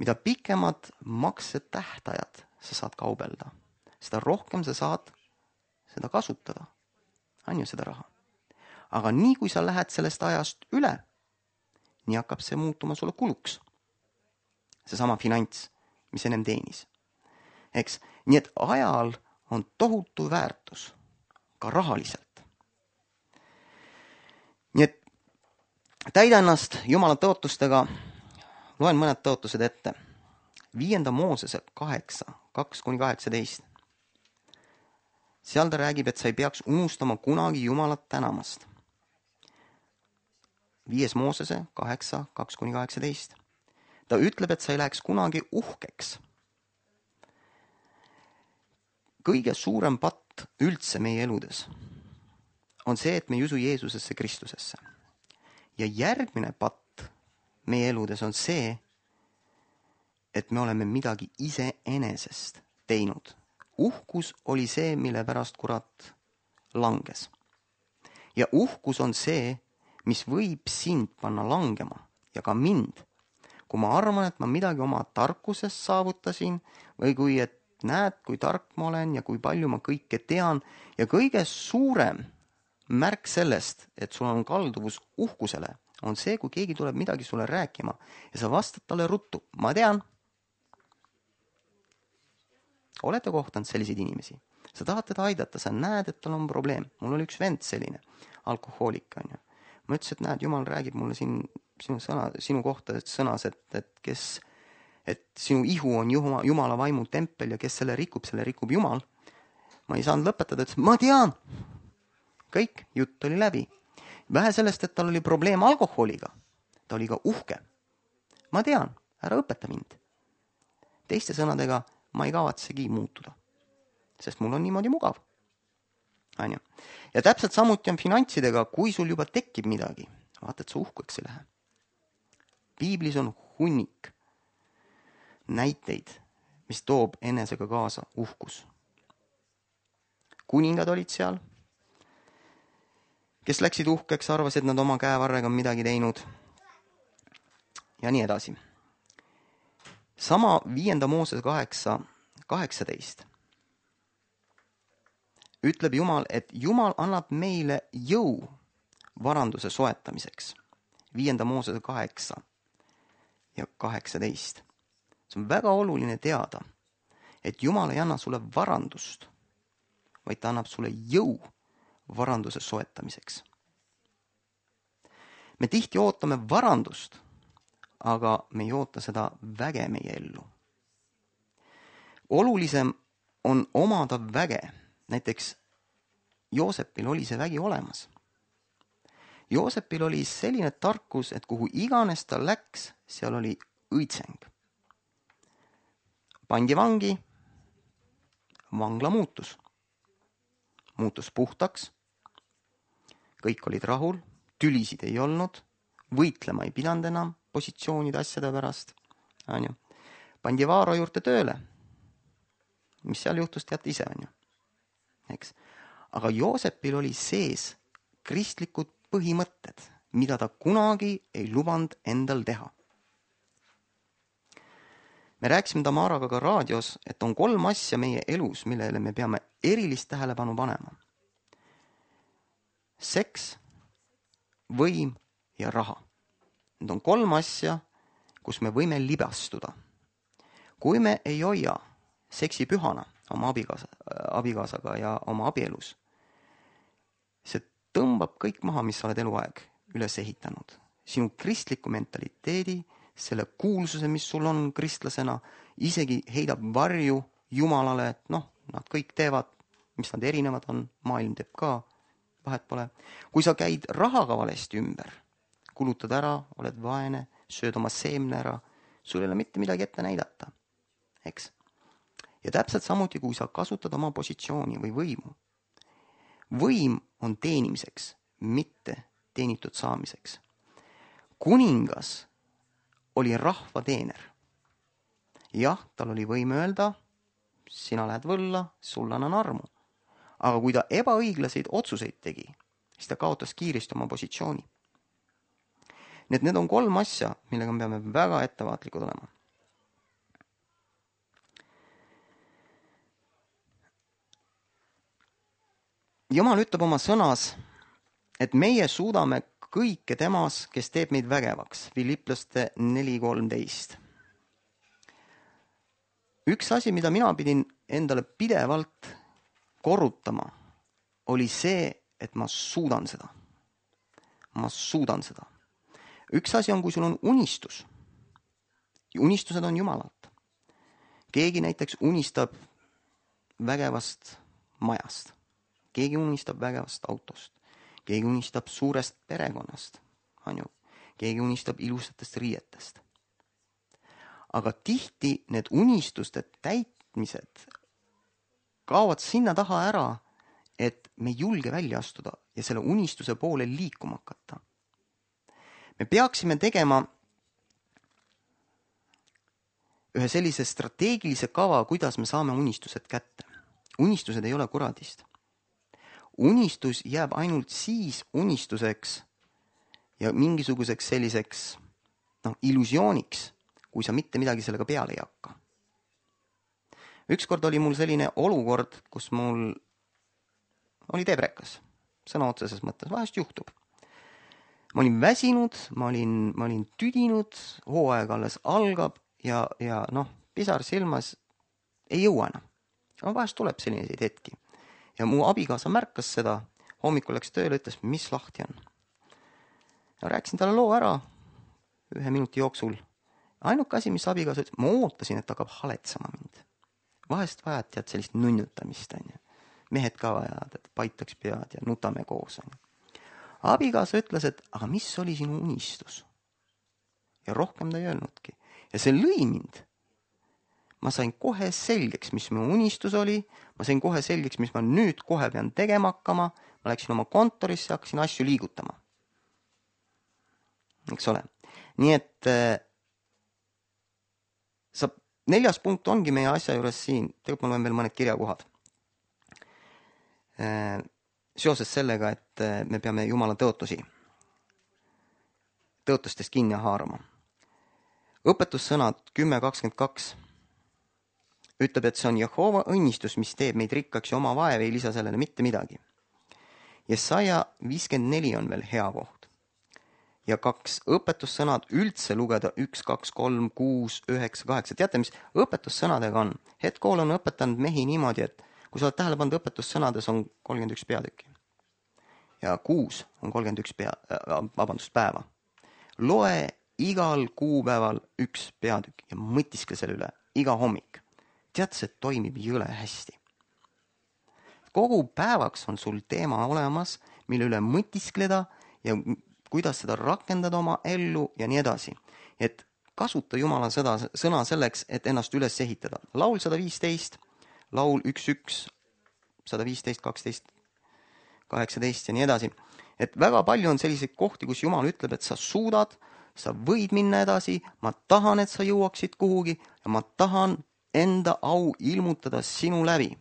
Mida pikemad maksetähtajad sa saad kaubelda, seda rohkem sa saad seda kasutada. On ju seda raha. Aga nii kui sa lähed sellest ajast üle, nii hakkab see muutuma sulle kuluks. Seesama finants, mis ennem teenis. Eks? Nii et ajal on tohutu väärtus, ka rahaliselt. Nii et täida ennast Jumala tõotustega, loen mõned tõotused ette. Viienda Moosese kaheksa, kaks kuni kaheksateist. Seal ta räägib, et sa ei peaks unustama kunagi Jumalat tänamast. Viies Moosese kaheksa, kaks kuni kaheksateist. Ta ütleb, et sa ei läheks kunagi uhkeks. Kõige suurem patt üldse meie eludes on see, et me ei usu Jeesusesse Kristusesse. Ja järgmine patt meie eludes on see, et me oleme midagi iseenesest teinud. Uhkus oli see, mille pärast kurat langes. Ja uhkus on see, mis võib sind panna langema ja ka mind. Kui ma arvan, et ma midagi oma tarkusest saavutasin või kui et näed, kui tark ma olen ja kui palju ma kõike tean ja kõige suurem märk sellest, et sul on kalduvus uhkusele, on see, kui keegi tuleb midagi sulle rääkima ja sa vastad talle ruttu. Ma tean. Olete kohtanud selliseid inimesi? Sa tahad teda aidata, sa näed, et tal on probleem. Mul oli üks vend selline, alkohoolik on ju. Ma ütlesin, et näed, Jumal räägib mulle siin sinu, sõna, sinu kohta sõnas, et, et, kes, et sinu ihu on Jumala, Jumala vaimu tempel ja kes selle rikub, selle rikub Jumal. Ma ei saanud lõpetada, et ma tean. Kõik, jutt oli läbi. Vähe sellest, et tal oli probleem alkoholiga. Ta oli ka uhke. Ma tean, ära õpeta mind. Teiste sõnadega, ma ei kavatsegi muutuda. Sest mul on niimoodi mugav. Anja. Ja täpselt samuti on finantsidega, kui sul juba tekib midagi. Vaata, et sa uhkeks ei lähe. Piiblis on hunnik näiteid, mis toob enesega kaasa uhkus. Kuningad olid seal, kes läksid uhkeks, arvasid, et nad oma käevarrega on midagi teinud. Ja nii edasi. Sama viienda Mooses kaheksa, kaheksateist. Ütleb Jumal, et Jumal annab meile jõu varanduse soetamiseks. Viienda Mooses kaheksa ja kaheksateist. See on väga oluline teada, et Jumal ei anna sulle varandust, vaid ta annab sulle jõu varanduse soetamiseks. Me tihti ootame varandust, aga me ei oota seda väge meie ellu. Olulisem on omada väge. Näiteks Joosepil oli see vägi olemas. Joosepil oli selline tarkus, et kuhu iganes ta läks, seal oli õitseng. Pandi vangi, vangla muutus. Muutus puhtaks, kõik olid rahul, tülisid ei olnud, võitlema ei pidanud enam positsioonide asjade pärast. Pandi Vaaro juurde tööle. Mis seal juhtus, teate ise on ju. Eks? Aga Joosepil oli sees kristlikud põhimõtted, mida ta kunagi ei lubanud endal teha. Me rääkisime Tamaraga ka raadios, et on kolm asja meie elus, millele me peame erilist tähelepanu panema. Seks, võim ja raha. Need on kolm asja, kus me võime libastuda. Kui me ei hoia seksi pühana oma abikaasa, abikaasaga ja oma abielus, see tõmbab kõik maha, mis sa oled eluaeg üles ehitanud. Sinu kristliku mentaliteedi, selle kuulsuse, mis sul on kristlasena, isegi heidab varju Jumalale, et noh, nad kõik teevad, mis nad erinevad on, maailm teeb ka, vahet pole. Kui sa käid rahaga valesti ümber, kulutad ära, oled vaene, sööd oma seemne ära, sul ei ole mitte midagi ette näidata, eks? Ja täpselt samuti, kui sa kasutad oma positsiooni või võimu. Võim on teenimiseks, mitte teenitud saamiseks. Kuningas oli rahva teener. Jah, tal oli võim öelda, sina lähed võlla, sulle annan armu. Aga kui ta ebaõiglaseid otsuseid tegi, siis ta kaotas kiiresti oma positsiooni. Need, need on kolm asja, millega me peame väga ettevaatlikud olema. Jumal ütleb oma sõnas, et meie suudame kõike temas, kes teeb meid vägevaks. Filiplaste neli kolmteist. Üks asi, mida mina pidin endale pidevalt korrutama, oli see, et ma suudan seda. Ma suudan seda. Üks asi on, kui sul on unistus. Unistused on Jumalalt. Keegi näiteks unistab vägevast majast. Keegi unistab vägevast autost. Keegi unistab suurest perekonnast. Keegi unistab ilusatest riietest. Aga tihti need unistuste täitmised kaovad sinna taha ära, et me ei julge välja astuda ja selle unistuse poole liikuma hakata. Me peaksime tegema ühe sellise strateegilise kava, kuidas me saame unistused kätte. Unistused ei ole kuradist. Unistus jääb ainult siis unistuseks ja mingisuguseks selliseks noh, illusiooniks, kui sa mitte midagi sellega peale ei hakka. Ükskord oli mul selline olukord, kus mul oli tebrekas, sõna otseses mõttes, vahest juhtub. Ma olin väsinud, ma olin, ma olin tüdinud, hooaeg alles algab ja, ja noh, pisar silmas ei jõua enam. Ja vahest tuleb selliseid hetki. Ja mu abikaasa märkas seda, hommikul läks tööle, ütles, mis lahti on. Ja rääkisin talle loo ära ühe minuti jooksul. Ainuke asi, mis abikaasa ütles, ma ootasin, et hakkab haletsama mind. Vahest vajad tead sellist nunnutamist. On ju. Mehed ka vajad, et paitaks pead ja nutame koos. On ju. Abikaasa ütles, et aga mis oli sinu unistus? Ja rohkem ta ei öelnudki. Ja see lõi mind. Ma sain kohe selgeks, mis minu unistus oli. Ma sain kohe selgeks, mis ma nüüd kohe pean tegema hakkama. Ma läksin oma kontorisse ja hakkasin asju liigutama. Eks ole. Nii et äh, sa, neljas punkt ongi meie asja juures siin. Tegelikult ma loen veel mõned kirjakohad. Äh, seoses sellega, et me peame Jumala tõotusi, tõotustest kinni haarama. Õpetussõnad kümme kakskümmend kaks ütleb, et see on Jehova õnnistus, mis teeb meid rikkaks ja oma vaev ei lisa sellele mitte midagi. Jesaja viiskümmend neli on veel hea koht. Ja kaks õpetussõnad üldse lugeda üks, kaks, kolm, kuus, üheksa, kaheksa. Teate, mis õpetussõnadega on? Hetkool on õpetanud mehi niimoodi, et kui sa oled tähele pannud, õpetussõnades on kolmkümmend üks peatükki. Ja kuus on kolmkümmend üks pea, vabandust, päeva. Loe igal kuupäeval üks peatükk ja mõtiskle selle üle iga hommik. Tead, see toimib jõle hästi. Kogu päevaks on sul teema olemas, mille üle mõtiskleda ja kuidas seda rakendada oma ellu ja nii edasi. Et kasuta Jumala seda, sõna selleks, et ennast üles ehitada. Laul sada viisteist, laul üks üks, sada viisteist, kaksteist, kaheksateist ja nii edasi. Et väga palju on selliseid kohti, kus Jumal ütleb, et sa suudad, sa võid minna edasi, ma tahan, et sa jõuaksid kuhugi ja ma tahan enda au ilmutada sinu läbi.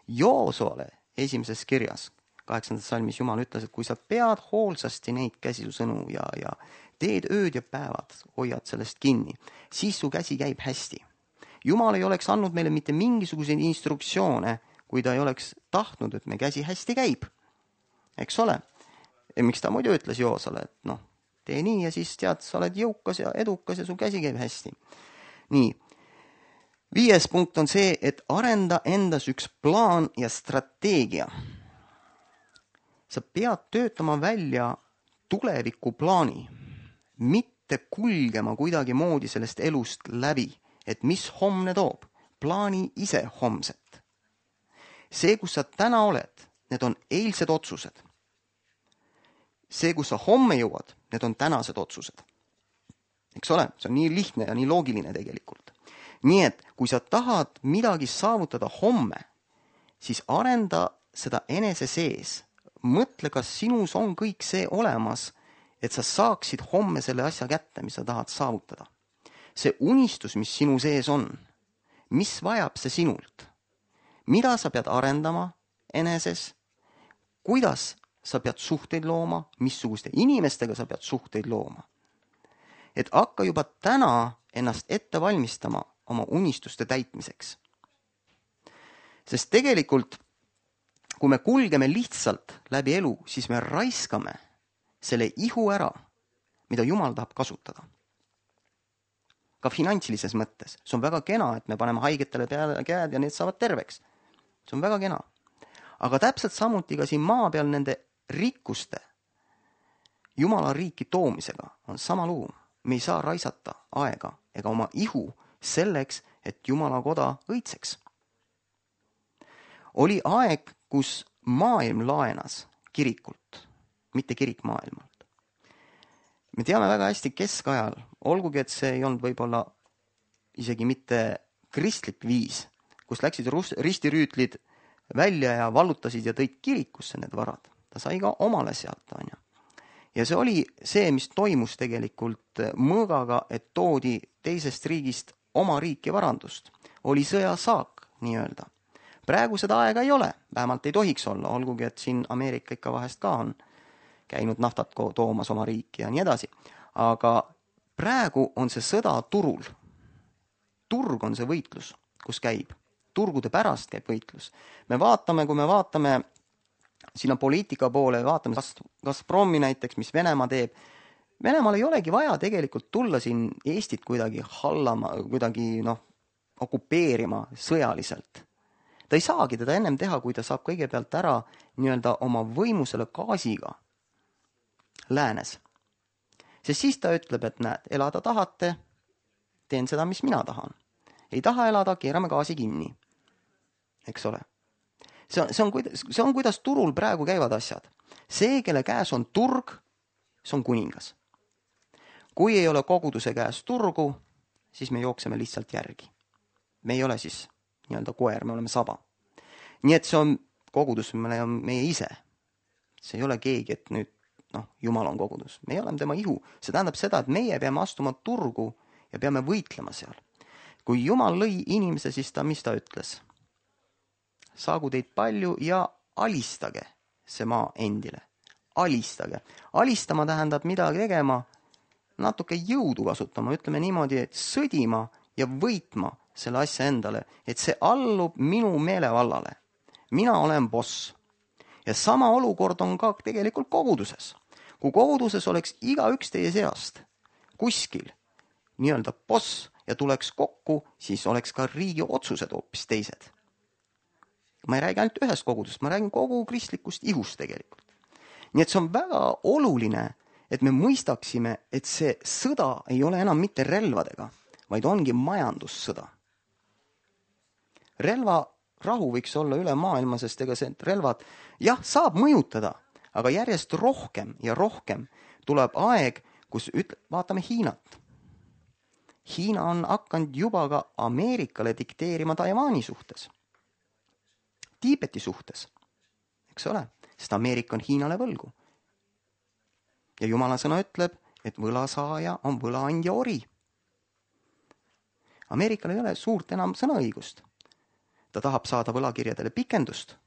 Joosole esimeses kirjas, kaheksandas salmis Jumal ütles, et kui sa pead hoolsasti neid käsi su sõnu ja, ja teed ööd ja päevad, hoiad sellest kinni, siis su käsi käib hästi. Jumal ei oleks andnud meile mitte mingisuguseid instruktsioone, kui ta ei oleks tahtnud, et me käsi hästi käib. Eks ole? Ja miks ta muidu ütles Joosole, et noh, tee nii ja siis tead, sa oled jõukas ja edukas ja su käsi käib hästi. Nii. Viies punkt on see, et arenda endas üks plaan ja strateegia. Sa pead töötama välja tuleviku plaani, mitte kulgema kuidagi moodi sellest elust läbi, et mis homne toob. Plaani ise homset. See, kus sa täna oled, need on eilsed otsused. See, kus sa homme jõuad, need on tänased otsused. Eks ole, see on nii lihtne ja nii loogiline tegelikult. Nii et, kui sa tahad midagi saavutada homme, siis arenda seda enese sees. Mõtle, kas sinus on kõik see olemas, et sa saaksid homme selle asja kätte, mis sa tahad saavutada. See unistus, mis sinu sees on, mis vajab see sinult? Mida sa pead arendama eneses? Kuidas sa pead suhteid looma? Missuguste inimestega sa pead suhteid looma? Et hakka juba täna ennast ette valmistama oma unistuste täitmiseks. Sest tegelikult, kui me kulgeme lihtsalt läbi elu, siis me raiskame selle ihu ära, mida Jumal tahab kasutada. Ka finantsilises mõttes. See on väga kena, et me paneme haigetele peale käed ja need saavad terveks. See on väga kena. Aga täpselt samuti ka siin maa peal nende rikkuste Jumala riiki toomisega on sama lugu. Me ei saa raisata aega ega oma ihu selleks, et Jumala koda õitseks. Oli aeg, kus maailm laenas kirikult, mitte kirik maailmalt. Me teame väga hästi keskajal, olgugi et see ei olnud võib-olla isegi mitte kristlik viis, kus läksid ristirüütlid välja ja vallutasid ja tõid kirikusse need varad. Ta sai ka omale sealt, on ju. Ja see oli see, mis toimus tegelikult mõõgaga, et toodi teisest riigist oma riiki varandust. Oli sõjasaak, nii öelda. Praegu seda aega ei ole, vähemalt ei tohiks olla, olgugi, et siin Ameerika ikka vahest ka on käinud naftat toomas oma riiki ja nii edasi. Aga praegu on see sõda turul. Turg on see võitlus, kus käib. Turgude pärast käib võitlus. Me vaatame, kui me vaatame sinna poliitika poole, vaatame Gazpromi näiteks, mis Venemaa teeb. Venemaal ei olegi vaja tegelikult tulla siin Eestit kuidagi hallama, kuidagi noh, okupeerima sõjaliselt. Ta ei saagi teda ennem teha, kui ta saab kõigepealt ära nii-öelda oma võimusele gaasiga läänes. Sest siis ta ütleb, et näed, elada tahate, teen seda, mis mina tahan. Ei taha elada, keerame gaasi kinni. Eks ole. See on, see, on, see on, kuidas turul praegu käivad asjad. See, kelle käes on turg, see on kuningas. Kui ei ole koguduse käes turgu, siis me jookseme lihtsalt järgi. Me ei ole siis nii-öelda koer, me oleme saba. Nii et see on kogudus, me on meie ise. See ei ole keegi, et nüüd, noh, Jumal on kogudus. Me oleme tema ihu. See tähendab seda, et meie peame astuma turgu ja peame võitlema seal. Kui Jumal lõi inimese, siis ta, mis ta ütles? Saagu teid palju ja alistage see maa endile. Alistage. Alistama tähendab midagi tegema, natuke jõudu kasutama, ütleme niimoodi, et sõdima ja võitma selle asja endale, et see allub minu meelevallale. Mina olen boss. Ja sama olukord on ka tegelikult koguduses. Kui koguduses oleks iga üks teie seast kuskil nii-öelda boss ja tuleks kokku, siis oleks ka riigi otsused hoopis teised. Ma ei räägi ainult ühest kogudust, ma räägin kogu kristlikust ihust tegelikult. Nii et see on väga oluline, et me mõistaksime, et see sõda ei ole enam mitte relvadega, vaid ongi majandussõda. Relva rahu võiks olla üle maailma, sest ega see relvad, jah, saab mõjutada, aga järjest rohkem ja rohkem tuleb aeg, kus ütle, vaatame Hiinat. Hiina on hakanud juba ka Ameerikale dikteerima Taiwani suhtes. Tiibeti suhtes, eks ole, sest Ameerika on Hiinale võlgu. Ja Jumala sõna ütleb, et võlasaaja on võlaandja ori. Ameerikal ei ole suurt enam sõnaõigust. Ta tahab saada võlakirjadele pikendust.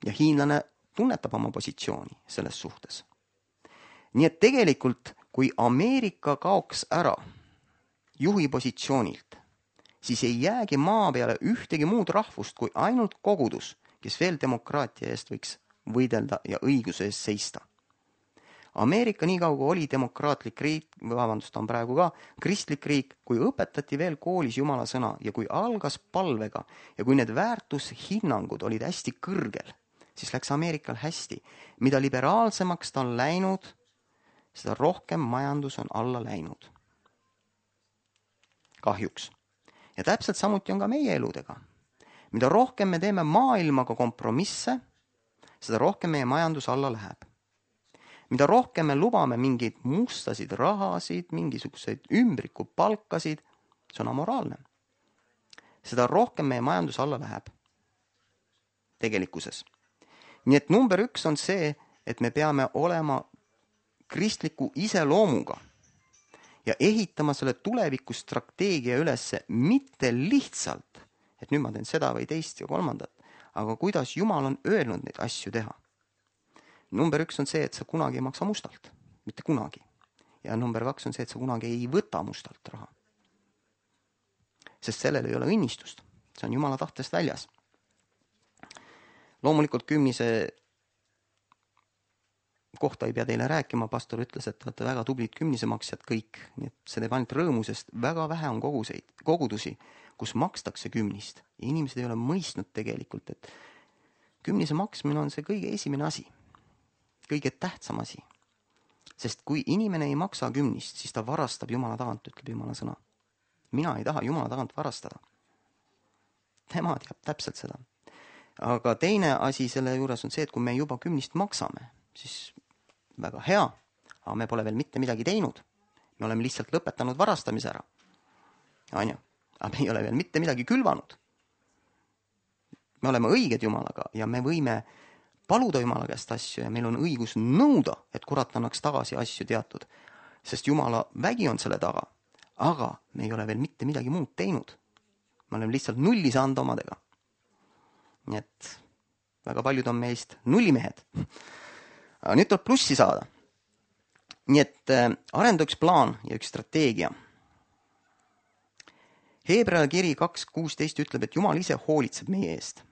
Ja hiinlane tunnetab oma positsiooni selles suhtes. Nii et tegelikult, kui Ameerika kaoks ära juhi positsioonilt, siis ei jäägi maa peale ühtegi muud rahvust kui ainult kogudus, kes veel demokraatia eest võiks võidelda ja õiguse eest seista. Ameerika nii kaugu oli demokraatlik riik, vabandust, on praegu ka kristlik riik, kui õpetati veel koolis Jumala sõna ja kui algas palvega ja kui need väärtushinnangud olid hästi kõrgel, siis läks Ameerikal hästi. Mida liberaalsemaks ta on läinud, seda rohkem majandus on alla läinud. Kahjuks. Ja täpselt samuti on ka meie eludega. Mida rohkem me teeme maailmaga kompromisse, seda rohkem meie majandus alla läheb. Mida rohkem me lubame mingeid mustasid rahasid, mingisuguseid ümbriku palkasid, see on amoraalne. Seda rohkem meie majandus alla läheb tegelikkuses. Nii et number üks on see, et me peame olema kristliku iseloomuga ja ehitama selle tuleviku strateegia ülesse mitte lihtsalt, et nüüd ma teen seda või teist ja kolmandat, aga kuidas Jumal on öelnud neid asju teha. Number üks on see, et sa kunagi ei maksa mustalt, mitte kunagi. Ja number kaks on see, et sa kunagi ei võta mustalt raha. Sest sellel ei ole õnnistust. See on Jumala tahtest väljas. Loomulikult kümnise kohta ei pea teile rääkima, pastor ütles, et olete väga tublid kümnisemaksjad kõik, nii et see teeb ainult rõõmu, sest väga vähe on koguseid, kogudusi, kus makstakse kümnist. Ja inimesed ei ole mõistnud tegelikult, et kümnise maksmine on see kõige esimene asi, kõige tähtsam asi. Sest kui inimene ei maksa kümnist, siis ta varastab Jumala tagant, ütleb Jumala sõna. Mina ei taha Jumala tagant varastada. Tema teab täpselt seda. Aga teine asi selle juures on see, et kui me juba kümnist maksame, siis väga hea, aga me pole veel mitte midagi teinud. Me oleme lihtsalt lõpetanud varastamise ära. Anja, aga me ei ole veel mitte midagi külvanud. Me oleme õiged Jumalaga ja me võime paluda Jumala käest asju ja meil on õigus nõuda, et kurat annaks tagasi asju teatud. Sest Jumala vägi on selle taga. aga me ei ole veel mitte midagi muud teinud. Me oleme lihtsalt nulli saanud omadega. Nii et väga paljud on meist nullimehed. Aga nüüd tuleb plussi saada. Nii et arenda üks plaan ja üks strateegia. Heebrea kiri kaks kuusteist ütleb, et Jumal ise hoolitseb meie eest.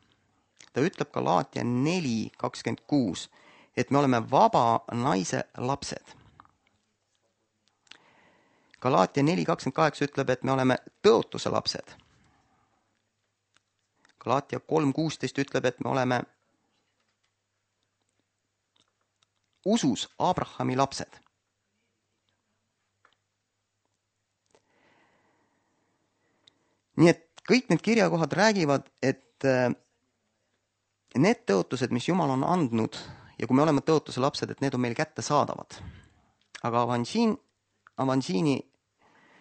Ta ütleb ka Galaatia neli kakskümmend kuus, et me oleme vaba naise lapsed. Galaatia neli kakskümmend kaheksa ütleb, et me oleme tõotuse lapsed. Galaatia kolm kuusteist ütleb, et me oleme usus Abrahami lapsed. Nii et kõik need kirjakohad räägivad, et need tõotused, mis Jumal on andnud ja kui me oleme tõotuse lapsed, et need on meil kätte saadavad. Aga Avansini, Avansini,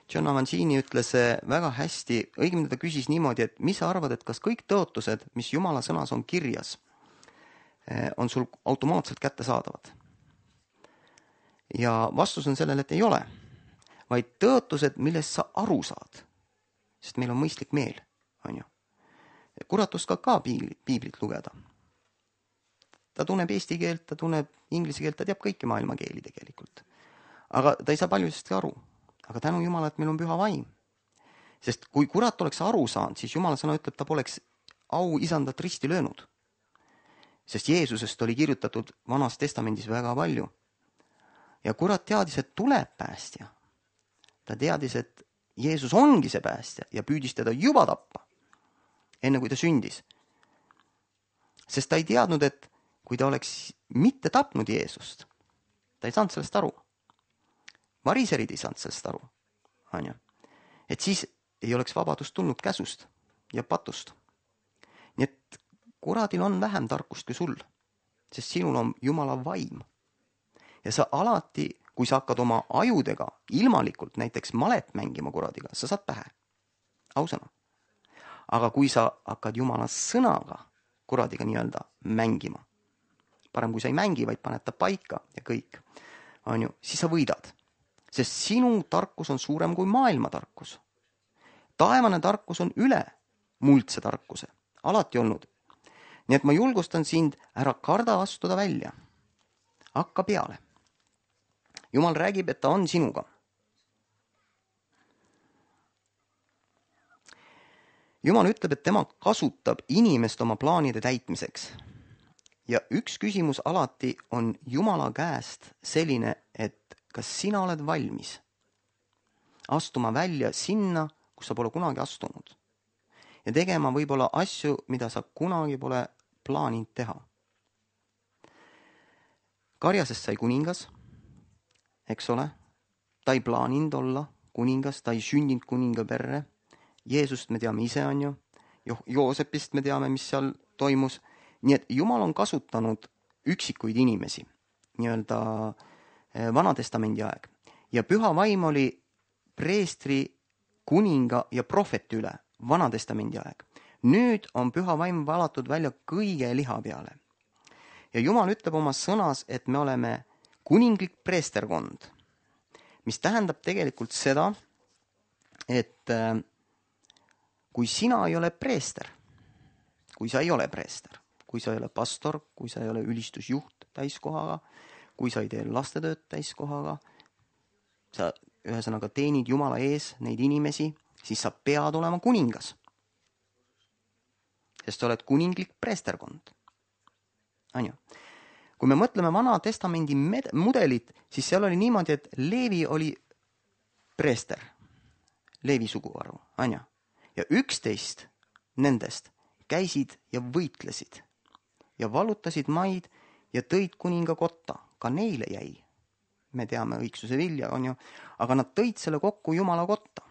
John Avansini ütles väga hästi, õigemini ta küsis niimoodi, et mis sa arvad, et kas kõik tõotused, mis Jumala sõnas on kirjas, on sul automaatselt kätte saadavad? Ja vastus on sellele, et ei ole, vaid tõotused, millest sa aru saad, sest meil on mõistlik meel, on ju. Kurat oskab ka piiblit, piiblit lugeda. Ta tunneb eesti keelt, ta tunneb inglise keelt, ta teab kõiki maailma keeli tegelikult. Aga ta ei saa paljudest aru. Aga tänu Jumala, et meil on püha vaim. Sest kui kurat oleks aru saanud, siis Jumala sõna ütleb, ta poleks au isandat risti löönud. Sest Jeesusest oli kirjutatud Vanas testamendis väga palju. Ja kurat teadis, et tuleb päästja. Ta teadis, et Jeesus ongi see päästja ja püüdis teda juba tappa, enne kui ta sündis. Sest ta ei teadnud, et kui ta oleks mitte tapnud Jeesust, ta ei saanud sellest aru. Variserid ei saanud sellest aru. Et siis ei oleks vabadust tulnud käsust ja patust. Nii et kuradil on vähem tarkust kui sul, sest sinul on Jumala vaim. Ja sa alati, kui sa hakkad oma ajudega ilmalikult näiteks malet mängima kuradiga, sa saad pähe. Ausõna. Aga kui sa hakkad Jumala sõnaga kuradiga nii-öelda mängima, parem kui sa ei mängi, vaid paned ta paika ja kõik, on ju, siis sa võidad. Sest sinu tarkus on suurem kui maailma tarkus. Taevane tarkus on üle muldse tarkuse. Alati olnud. Nii et ma julgustan sind, ära karda astuda välja. Hakka peale. Jumal räägib, et ta on sinuga. Jumal ütleb, et tema kasutab inimest oma plaanide täitmiseks. Ja üks küsimus alati on Jumala käest selline, et kas sina oled valmis astuma välja sinna, kus sa pole kunagi astunud. Ja tegema võib-olla asju, mida sa kunagi pole plaaninud teha. Karjasest sai kuningas, eks ole. Ta ei plaaninud olla kuningas, ta ei sündinud kuninga perre. Jeesust me teame ise, on ju. Jo- Joosepist me teame, mis seal toimus. Nii et Jumal on kasutanud üksikuid inimesi, nii-öelda Vana testamendi aeg. Ja püha vaim oli preestri, kuninga ja prohveti üle Vana testamendi aeg. Nüüd on püha vaim valatud välja kõige liha peale. Ja Jumal ütleb oma sõnas, et me oleme kuninglik preesterkond, mis tähendab tegelikult seda, et kui sina ei ole preester, kui sa ei ole preester, kui sa ei ole pastor, kui sa ei ole ülistusjuht täiskohaga, kui sa ei tee lastetööd täiskohaga, sa ühesõnaga teenid Jumala ees neid inimesi, siis sa pead olema kuningas. Sest sa oled kuninglik preesterkond. Anja. Kui me mõtleme Vana testamendi mudelit, siis seal oli niimoodi, et Leevi oli preester. Leevi suguharu. Anja. Ja üksteist nendest käisid ja võitlesid ja valutasid maid ja tõid kuninga kotta. Ka neile jäi. Me teame õigsuse vilja, on ju, aga nad tõid selle kokku Jumala kotta.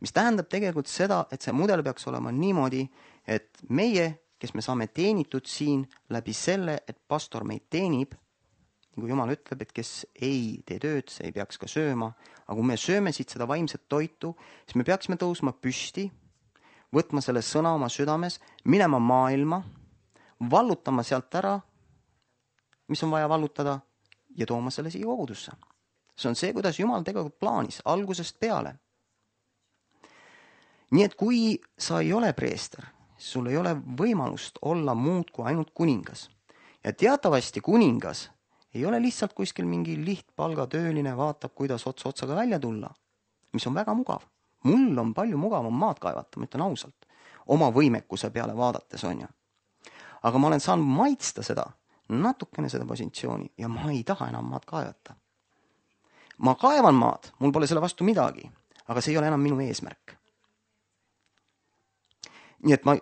Mis tähendab tegelikult seda, et see mudel peaks olema niimoodi, et meie, kes me saame teenitud siin läbi selle, et pastor meid teenib, nagu Jumal ütleb, et kes ei tee tööd, see ei peaks ka sööma, aga kui me sööme siit seda vaimset toitu, siis me peaksime tõusma püsti, võtma selle sõna oma südames, minema maailma, vallutama sealt ära, mis on vaja vallutada, ja tooma selle siia kogudusse. See on see, kuidas Jumal tegelikult plaanis, algusest peale. nii et kui sa ei ole preester, sul ei ole võimalust olla muud kui ainult kuningas. Ja teatavasti kuningas ei ole lihtsalt kuskil mingi lihtpalgatööline, vaatab, kuidas ots otsaga välja tulla, mis on väga mugav. Mul on palju mugavam maad kaevata, ma ütlen ausalt, oma võimekuse peale vaadates on ju. Aga ma olen saanud maitsta seda, natukene seda positsiooni ja ma ei taha enam maad kaevata. Ma kaevan maad, mul pole selle vastu midagi, aga see ei ole enam minu eesmärk. Nii et ma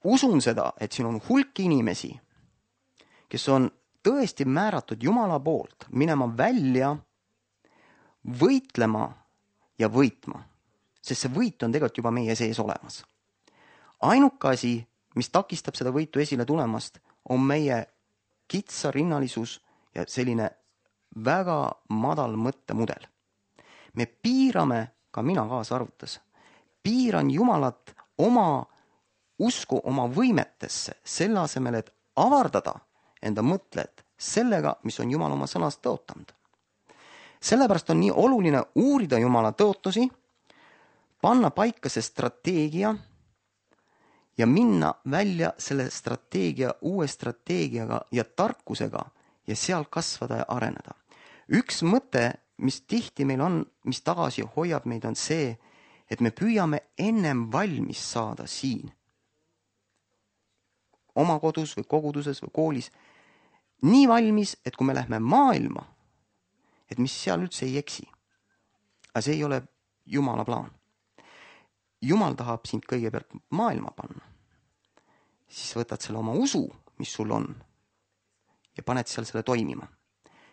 usun seda, et siin on hulk inimesi, kes on tõesti määratud Jumala poolt minema välja, võitlema ja võitma. Sest see võit on tegelikult juba meie sees olemas. Ainuke asi, mis takistab seda võitu esile tulemast, on meie kitsarinnalisus ja selline väga madal mõttemudel. Me piirame, ka mina kaasa arvutas, piiran Jumalat oma usku oma võimetesse, selle asemel, et avardada enda mõtted sellega, mis on Jumal oma sõnast tõotanud. Sellepärast on nii oluline uurida Jumala tõotusi, panna paika see strateegia ja minna välja selle strateegia uue strateegiaga ja tarkusega ja seal kasvada ja areneda. Üks mõte, mis tihti meil on, mis tagasi hoiab meid, on see, et me püüame ennem valmis saada siin. Oma kodus või koguduses või koolis. Nii valmis, et kui me lähme maailma, et mis seal üldse ei eksi. Aga see ei ole Jumala plaan. Jumal tahab sind kõigepealt maailma panna. Siis võtad selle oma usu, mis sul on, ja paned seal selle toimima.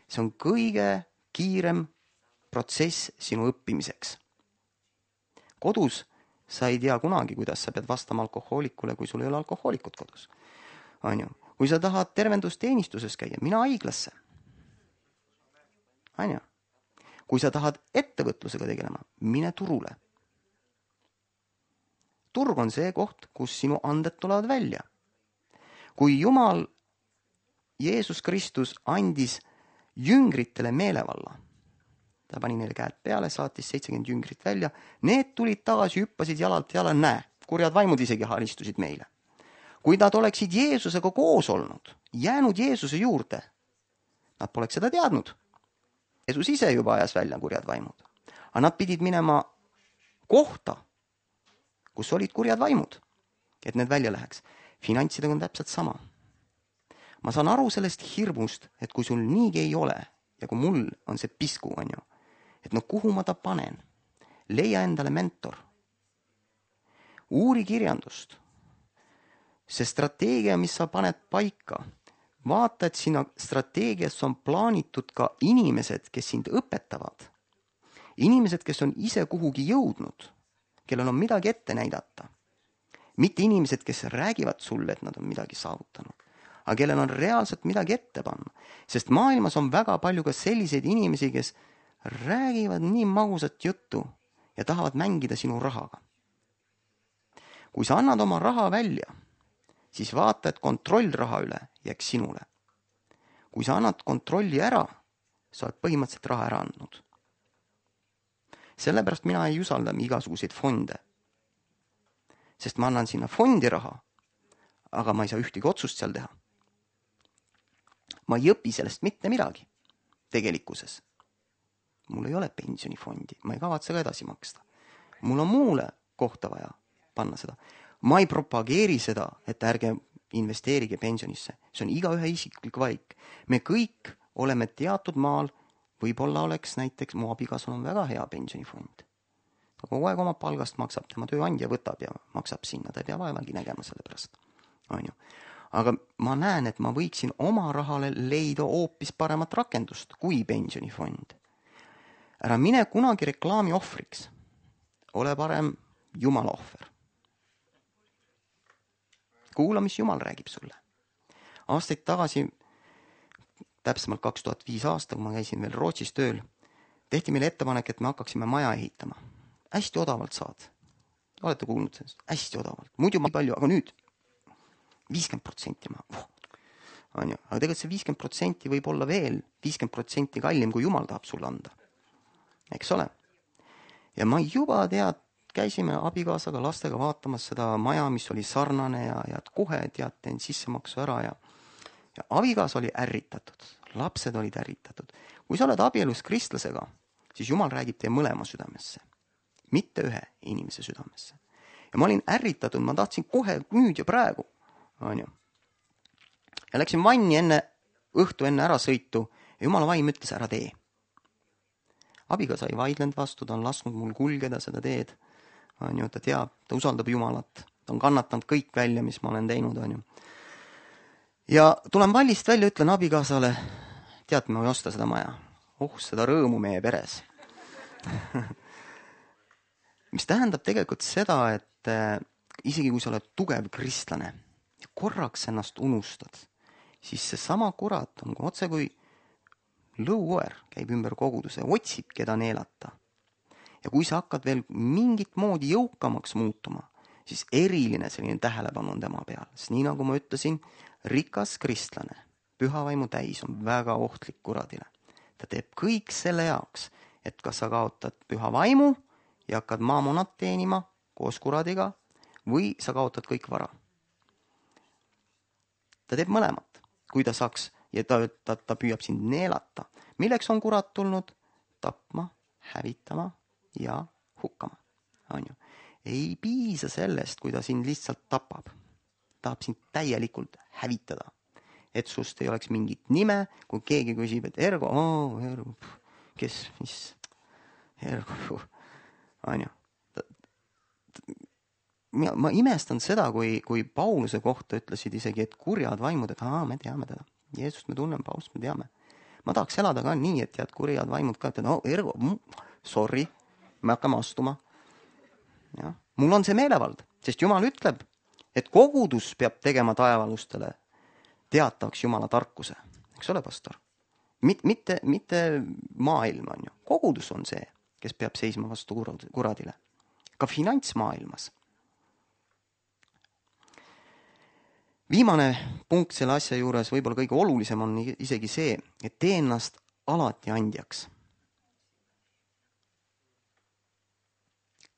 See on kõige kiirem protsess sinu õppimiseks. Kodus sa ei tea kunagi, kuidas sa pead vastama alkohoolikule, kui sul ei ole alkohoolikut kodus. On ju? Kui sa tahad tervendusteenistuses käia, mina haiglasse. On ju? Kui sa tahad ettevõtlusega tegelema, mine turule. Turg on see koht, kus sinu anded tulevad välja. Kui Jumal, Jeesus Kristus andis jüngritele meelevalla, ta pani neile käed peale, saatis seitsekümmend jüngrit välja, need tulid tagasi, hüppasid jalalt jala, näe, kurjad vaimud isegi haristusid meile. Kui nad oleksid Jeesusega koos olnud, jäänud Jeesuse juurde, nad poleks seda teadnud. Jeesus ise juba ajas välja kurjad vaimud. Aga nad pidid minema kohta, kus olid kurjad vaimud, et need välja läheks. Finantsidega on täpselt sama. Ma saan aru sellest hirmust, et kui sul niigi ei ole, ja kui mul on see pisku, on ju, et no kuhu ma ta panen? Leia endale mentor. Uuri kirjandust. See strateegia, mis sa paned paika, vaata, et sinna strateegias on plaanitud ka inimesed, kes sind õpetavad. Inimesed, kes on ise kuhugi jõudnud, kellel on midagi ette näidata. Mitte inimesed, kes räägivad sulle, et nad on midagi saavutanud, aga kellel on reaalselt midagi ette panna. Sest maailmas on väga palju ka selliseid inimesi, kes räägivad nii magusat juttu ja tahavad mängida sinu rahaga. Kui sa annad oma raha välja, siis vaata, et kontroll raha üle jääks sinule. Kui sa annad kontrolli ära, sa oled põhimõtteliselt raha ära andnud. Sellepärast mina ei usalda igasuguseid fonde. Sest ma annan sinna fondi raha, aga ma ei saa ühtegi otsust seal teha. Ma ei õpi sellest mitte midagi tegelikkuses. Mul ei ole pensionifondi, ma ei kavatse ka edasi maksta. Mul on muule kohta vaja panna seda. Ma ei propageeri seda, et ärge investeerige pensionisse. See on igaühe isiklik valik. Me kõik oleme teatud maal, võib-olla oleks näiteks, mu abikaasal on väga hea pensionifond. Ta kogu aeg oma palgast maksab, tema tööandja võtab ja maksab sinna, ta ei pea vaevagi nägema selle pärast. On ju. Aga ma näen, et ma võiksin oma rahale leida hoopis paremat rakendust kui pensionifond. Ära mine kunagi reklaami ohvriks. Ole parem Jumala ohver. Kuula, mis Jumal räägib sulle. Aastaid tagasi, täpsemalt kaks tuhat viis aasta, kui ma käisin veel Rootsis tööl, tehti meile ettepanek, et me hakkaksime maja ehitama. Hästi odavalt saad. Olete kuulnud sellest? Hästi odavalt. Muidu ma ei palju, aga nüüd viiskümmend protsenti ma... Oh, on ju. Aga tegelikult see viiskümmend protsenti võib olla veel viiskümmend protsenti kallim, kui Jumal tahab sulle anda. Eks ole? Ja ma juba tead käisime abikaasaga lastega vaatamas seda maja, mis oli sarnane ja, ja kohe tead, teen sissemaksu ära ja, ja abikaas oli ärritatud, lapsed olid ärritatud. Kui sa oled abielus kristlasega, siis Jumal räägib teie mõlema südamesse, mitte ühe inimese südamesse. Ja ma olin ärritatud, ma tahtsin kohe nüüd ja praegu, on ju. Ja läksin vanni enne, õhtu enne ära sõitu ja Jumala vaim ütles, ära tee. Abikaasa ei vaidlenud vastu, ta on lasknud mul kulgeda seda teed, on ju, ta teab, ta usaldab Jumalat, ta on kannatanud kõik välja, mis ma olen teinud, on ju. Ja tulen vallist välja, ütlen abikaasale, tead, ma ei osta seda maja, oh, seda rõõmu meie peres. Mis tähendab tegelikult seda, et äh, isegi kui sa oled tugev kristlane ja korraks ennast unustad, siis see sama kurat on otse kui lõukoer käib ümber koguduse, otsib, keda neelata. Ja kui sa hakkad veel mingit moodi jõukamaks muutuma, siis eriline selline tähelepanu on tema peal. Sest nii nagu ma ütlesin, rikas kristlane, pühavaimu täis on väga ohtlik kuradile. Ta teeb kõik selle jaoks, et kas sa kaotad püha vaimu ja hakkad maamonat teenima koos kuradiga või sa kaotad kõik vara. Ta teeb mõlemat, kui ta saaks ja ta, ta, ta püüab sind neelata. Milleks on kurat tulnud? Tapma, hävitama ja hukkama. On ju. Ei piisa sellest, kui ta sind lihtsalt tapab. Tahab sind täielikult hävitada. Et sust ei oleks mingit nime, kui keegi küsib, et Ergo, oh, Ergo, kes, mis, Ergo, on ju. Ma, ma imestan seda, kui, kui Pauluse kohta ütlesid isegi, et kurjad vaimud, et aa, me teame teda. Jeesust me tunneme, Paulust me teame. Ma tahaks elada ka nii, et tead kurjad vaimud ka, et no, Ergo, sorry, me hakkame astuma. Ja. Mul on see meelevald, sest Jumal ütleb, et kogudus peab tegema taevalustele teatavaks Jumala tarkuse. Eks ole, pastor? Mit, mitte, mitte maailm on ju. Kogudus on see, kes peab seisma vastu kuradile. Ka finantsmaailmas. Viimane punkt selle asja juures, võib-olla kõige olulisem on isegi see, et tee ennast alati andjaks.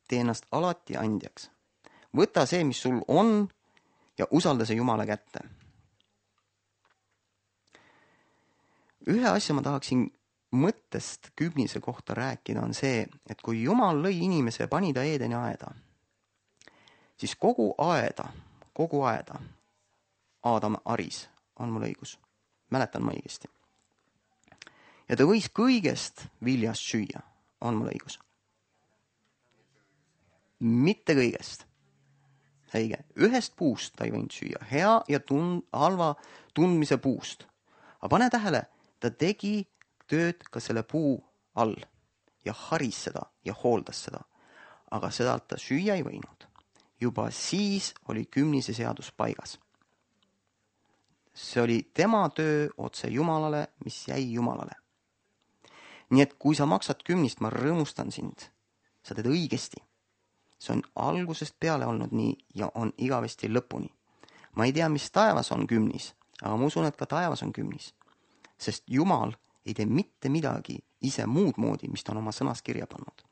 Tee ennast alati andjaks. Võta see, mis sul on ja usalda see Jumala kätte. Ühe asja ma tahaksin mõttest kümnise kohta rääkida on see, et kui Jumal lõi inimese ja pani ta Eedeni aeda, siis kogu aeda, kogu aeda Aadam aris, on mul õigus. Mäletan ma õigesti. Ja ta võis kõigest viljast süüa, on mul õigus. Mitte kõigest. Õige. Ühest puust ta ei võinud süüa. Hea ja tund, halva tundmise puust. Aga pane tähele, ta tegi tööd ka selle puu all ja haris seda ja hooldas seda. Aga seda ta süüa ei võinud. Juba siis oli kümnise seadus paigas. See oli tema töö otse Jumalale, mis jäi Jumalale. Nii et kui sa maksad kümnist, ma rõõmustan sind. Sa teed õigesti. See on algusest peale olnud nii ja on igavesti lõpuni. Ma ei tea, mis taevas on kümnis, aga ma usun, et ka taevas on kümnis. Sest Jumal ei tee mitte midagi ise muud moodi, mis ta on oma sõnas kirja pannud.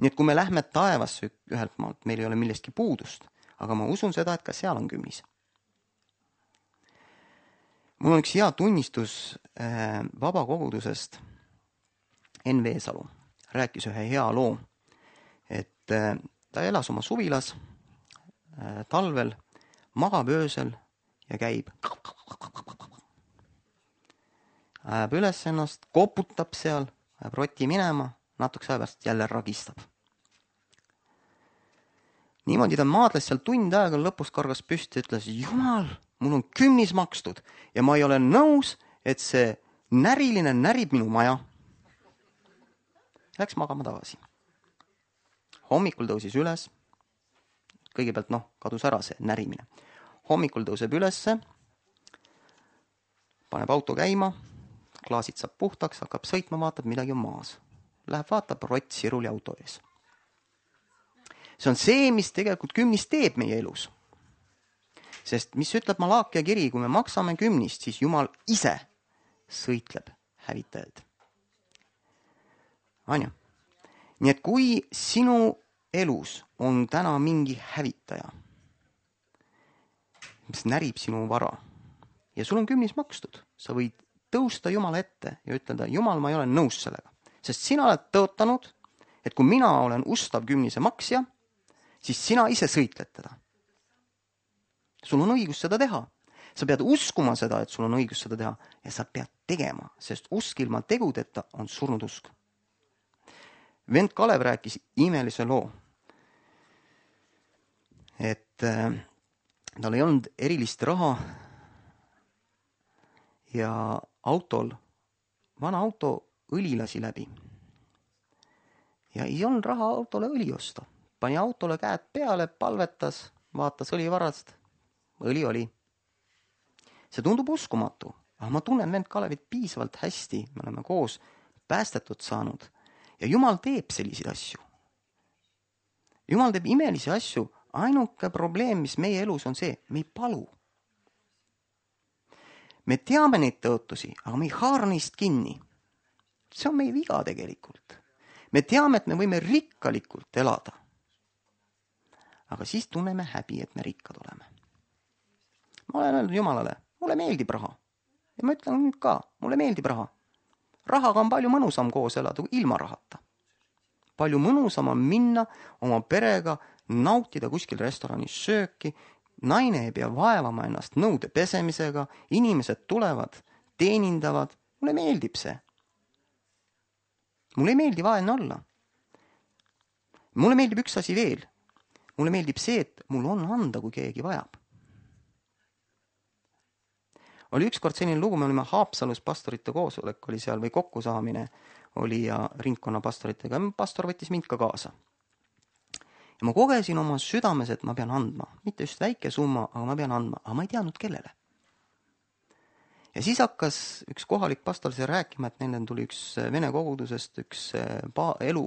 Nii et kui me lähme taevasse ühelt maalt, meil ei ole millestki puudust, aga ma usun seda, et ka seal on kümnis. Mul on üks hea tunnistus äh, vabakogudusest. Enn Veesalu rääkis ühe hea loo, et äh, ta elas oma suvilas äh, talvel, magab öösel ja käib. Ajab üles ennast, koputab seal, ajab roti minema, natuks aja pärast jälle ragistab. Niimoodi ta maadles seal tund aega, lõpus kargas püsti ja ütles, Jumal, mul on kümnis makstud ja ma ei ole nõus, et see näriline närib minu maja. Läks magama tagasi. Hommikul tõusis üles. Kõigepealt noh, kadus ära see närimine. Hommikul tõuseb ülesse, paneb auto käima, klaasid saab puhtaks, hakkab sõitma, vaatab, midagi on maas. Läheb vaatab, rott siruli auto ees. See on see, mis tegelikult kümnis teeb meie elus. Sest mis ütleb Malaakia kiri, kui me maksame kümnist, siis Jumal ise sõitleb hävitajaid. On ju? Nii et kui sinu elus on täna mingi hävitaja, mis närib sinu vara ja sul on kümnis makstud, sa võid tõusta Jumala ette ja ütelda, Jumal, ma ei ole nõus sellega, sest sina oled tõotanud, et kui mina olen ustav kümnise maksja, siis sina ise sõitled teda. Sul on õigus seda teha. Sa pead uskuma seda, et sul on õigus seda teha ja sa pead tegema, sest usk ilma tegudeta on surnud usk. Vend Kalev rääkis imelise loo, et äh, tal ei olnud erilist raha ja autol, vana auto õli lasi läbi. Ja ei olnud raha autole õli osta. Pani autole käed peale, palvetas, vaatas õlivarast, õli oli. See tundub uskumatu, aga ma tunnen vend Kalevit piisavalt hästi, me oleme koos päästetud saanud ja Jumal teeb selliseid asju. Jumal teeb imelisi asju, ainuke probleem, mis meie elus on see, me ei palu. Me teame neid tõotusi, aga me ei haara neist kinni. See on meie viga tegelikult. Me teame, et me võime rikkalikult elada. Aga siis tunneme häbi, et me rikkad oleme. Ma olen öelnud Jumalale, mulle meeldib raha. Ja ma ütlen nüüd ka, mulle meeldib raha. Rahaga on palju mõnusam koos elada kui ilma rahata. Palju mõnusam on minna oma perega, nautida kuskil restoranis sööki, naine ei pea vaevama ennast nõude pesemisega, inimesed tulevad, teenindavad, mulle meeldib see. Mulle ei meeldi vaene olla. Mulle meeldib üks asi veel. Mulle meeldib see, et mul on anda, kui keegi vajab. Oli ükskord selline lugu, me olime Haapsalus pastorite koosolek, oli seal või kokkusaamine oli ja ringkonna pastoritega. Pastor võttis mind ka kaasa. Ja ma kogesin oma südames, et ma pean andma. Mitte just väike summa, aga ma pean andma. Aga ma ei teadnud kellele. Ja siis hakkas üks kohalik pastor see rääkima, et neil tuli üks vene kogudusest, üks pa- elu,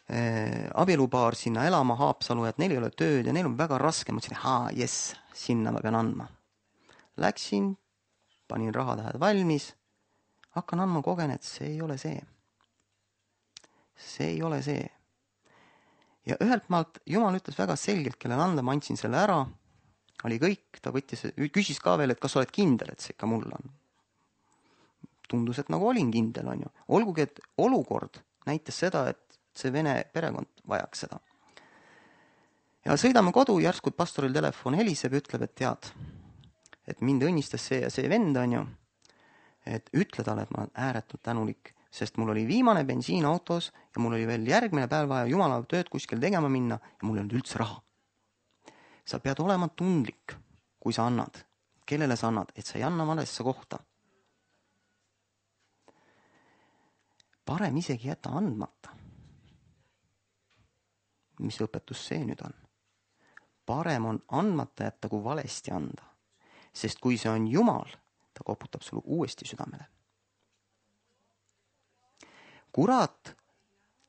eh, abielupaar sinna elama Haapsalu, et neil ei ole tööd ja neil on väga raske. Ma ütlesin, haa, jes, sinna ma pean andma. Läksin, panin rahatähed valmis, hakkan andma kogen, et see ei ole see. See ei ole see. Ja ühelt maalt Jumal ütles väga selgelt, kellele anda, ma andsin selle ära, oli kõik, ta võttis, küsis ka veel, et kas oled kindel, et see ikka mul on. Tundus, et nagu olin kindel, on ju. Olgugi, et olukord näitas seda, et see vene perekond vajaks seda. Ja sõidame kodu, järsku pastoril telefon heliseb ja ütleb, et tead, et mind õnnistas see ja see vend on ju, et ütle talle, et ma olen ääretult tänulik, sest mul oli viimane bensiin autos ja mul oli veel järgmine päev vaja Jumala tööd kuskil tegema minna ja mul ei olnud üldse raha. Sa pead olema tundlik, kui sa annad, kellele sa annad, et sa ei anna valesse kohta. Parem isegi jätta andmata. Mis õpetus see nüüd on? Parem on andmata jätta, kui valesti anda. Sest kui see on Jumal, ta koputab sulle uuesti südamele. Kurat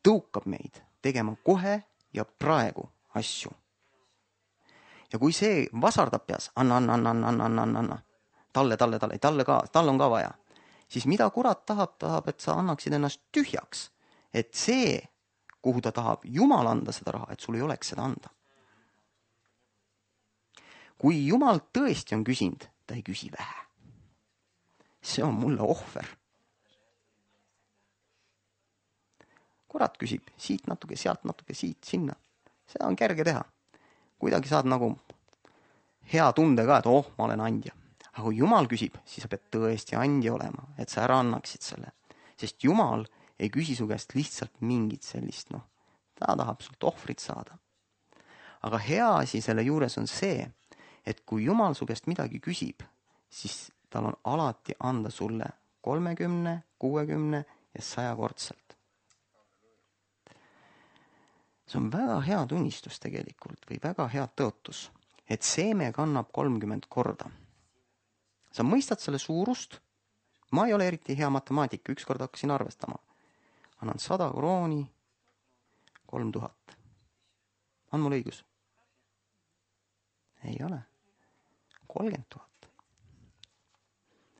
tõukab meid tegema kohe ja praegu asju. Ja kui see vasardab peas, anna, anna, anna, anna, anna, anna, anna, talle, talle, talle, talle ka, tal on ka vaja, siis mida kurat tahab, tahab, et sa annaksid ennast tühjaks, et see, kuhu ta tahab Jumal anda seda raha, et sul ei oleks seda anda. Kui Jumal tõesti on küsinud, ta ei küsi vähe. See on mulle ohver. Kurat küsib siit natuke, sealt natuke, siit, sinna. Seda on kerge teha. Kuidagi saad nagu hea tunde ka, et oh, ma olen andja. Aga kui Jumal küsib, siis sa pead tõesti andja olema, et sa ära annaksid selle. Sest Jumal ei küsi su käest lihtsalt mingit sellist, noh, ta tahab sult ohvrit saada. Aga hea asi selle juures on see, et kui Jumal su käest midagi küsib, siis tal on alati anda sulle kolmekümne, kuuekümne ja sajakordselt. See on väga hea tunnistus tegelikult või väga hea tõotus, et seeme kannab kolmkümmend korda. Sa mõistad selle suurust? Ma ei ole eriti hea matemaatika, ükskord hakkasin arvestama. Annan sada krooni, kolm tuhat. On mul õigus? Ei ole. kolmkümmend tuhat.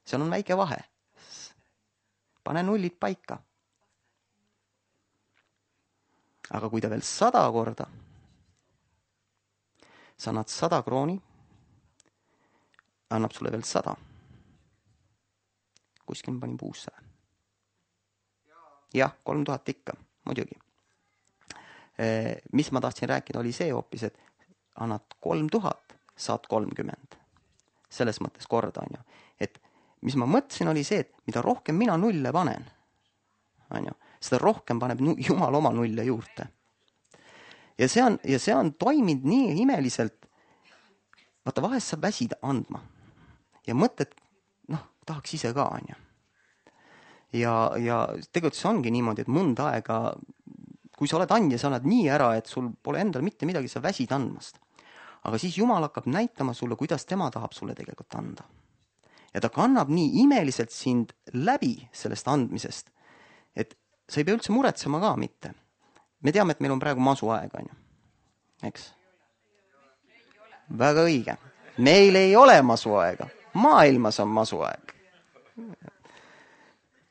Seal on väike vahe. Pane nullid paika. Aga kui ta veel sada korda, sa annad sada krooni, annab sulle veel sada. Kuskil ma panin puusse. Jah, kolm tuhat ikka, muidugi. Mis ma tahtsin rääkida, oli see hoopis, et annad kolm tuhat, saad kolmkümmend. Selles mõttes korda on ju. Et mis ma mõtlesin, oli see, et mida rohkem mina nulle panen, on ju, seda rohkem paneb Jumal oma nulle juurde. Ja see on, ja see on toiminud nii imeliselt. Vaata, vahest sa väsid andma. Ja mõtled, noh, tahaks ise ka, on ju. Ja, ja tegelikult see ongi niimoodi, et mõnda aega, kui sa oled andja, sa oled nii ära, et sul pole endal mitte midagi, sa väsid andmast. Aga siis Jumal hakkab näitama sulle, kuidas tema tahab sulle tegelikult anda. Ja ta kannab nii imeliselt sind läbi sellest andmisest, et sa ei pea üldse muretsema ka mitte. Me teame, et meil on praegu masu aeg, on ju. Eks? Väga õige. Meil ei ole masu aega. Maailmas on masu aeg.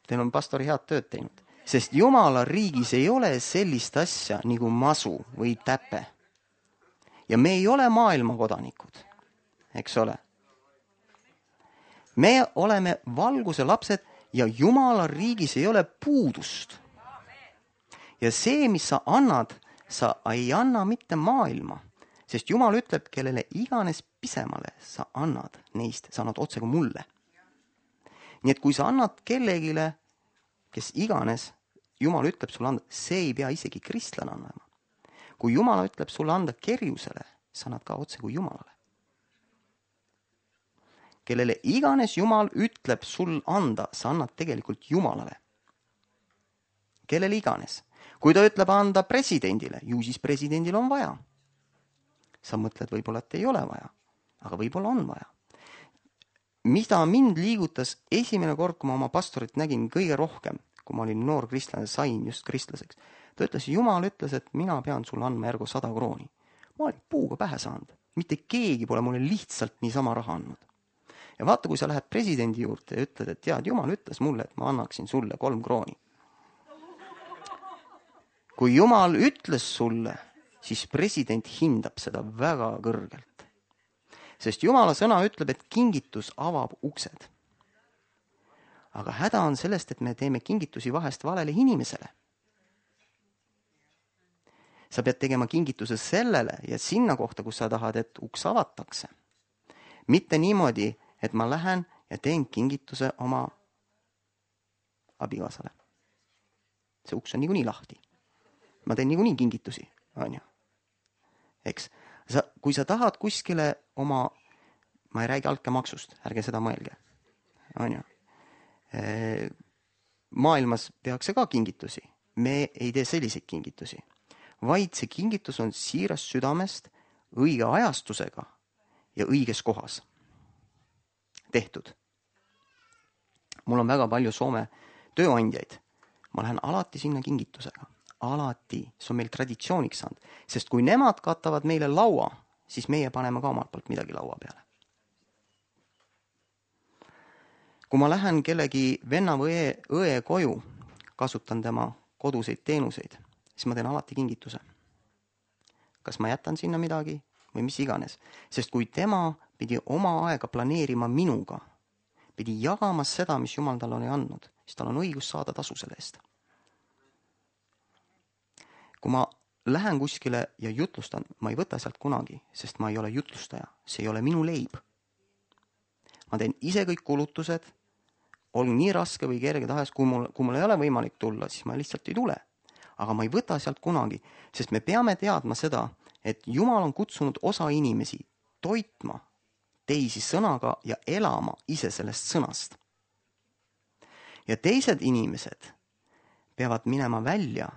Teil on pastori head tööd teinud. Sest Jumala riigis ei ole sellist asja nagu masu või täpe. Ja me ei ole maailma kodanikud. Eks ole? Me oleme valguse lapsed ja Jumala riigis ei ole puudust. Ja see, mis sa annad, sa ei anna mitte maailma. Sest Jumal ütleb, kellele iganes pisemale sa annad neist, sa annad otse kui mulle. Nii et kui sa annad kellegile, kes iganes, Jumal ütleb sulle anda, see ei pea isegi kristlane annama. Kui Jumal ütleb sulle anda kerjusele, sa annad ka otse kui Jumalale. Kellele iganes Jumal ütleb sul anda, sa annad tegelikult Jumalale. Kellele iganes. Kui ta ütleb anda presidendile, ju siis presidendil on vaja. Sa mõtled võib-olla, et ei ole vaja, aga võib-olla on vaja. Mida mind liigutas esimene kord, kui ma oma pastorit nägin kõige rohkem, kui ma olin noor kristlane, sain just kristlaseks. Ta ütles, Jumal ütles, et mina pean sulle andma järgu sada krooni. Ma olin puuga pähe saanud. Mitte keegi pole mulle lihtsalt niisama raha andnud. Ja vaata, kui sa lähed presidendi juurde ja ütled, et tead, Jumal ütles mulle, et ma annaksin sulle kolm krooni. Kui Jumal ütles sulle, siis president hindab seda väga kõrgelt. Sest Jumala sõna ütleb, et kingitus avab uksed. Aga häda on sellest, et me teeme kingitusi vahest valele inimesele. Sa pead tegema kingituse sellele ja sinna kohta, kus sa tahad, et uks avatakse. Mitte niimoodi, et ma lähen ja teen kingituse oma abikaasale. See uks on niikuinii lahti. Ma teen niikuinii kingitusi, on ju. Eks, sa, kui sa tahad kuskile oma, ma ei räägi altkäemaksust, ärge seda mõelge, on ju. E, maailmas tehakse ka kingitusi. Me ei tee selliseid kingitusi, vaid see kingitus on siirast südamest õige ajastusega ja õiges kohas tehtud. Mul on väga palju Soome tööandjaid. Ma lähen alati sinna kingitusega. Alati. See on meil traditsiooniks saanud. Sest kui nemad katavad meile laua, siis meie paneme ka omalt poolt midagi laua peale. Kui ma lähen kellegi venna või õe, õe koju, kasutan tema koduseid teenuseid, siis ma teen alati kingituse. Kas ma jätan sinna midagi või mis iganes. Sest kui tema pidi oma aega planeerima minuga, pidi jagama seda, mis Jumal tal on andnud, siis tal on õigus saada tasu selle eest. Kui ma lähen kuskile ja jutlustan, ma ei võta sealt kunagi, sest ma ei ole jutlustaja. See ei ole minu leib. Ma teen ise kõik kulutused, olgu nii raske või kerge tahes, kui mul, kui mul ei ole võimalik tulla, siis ma lihtsalt ei tule. Aga ma ei võta sealt kunagi, sest me peame teadma seda, et Jumal on kutsunud osa inimesi toitma teisi sõnaga ja elama ise sellest sõnast. Ja teised inimesed peavad minema välja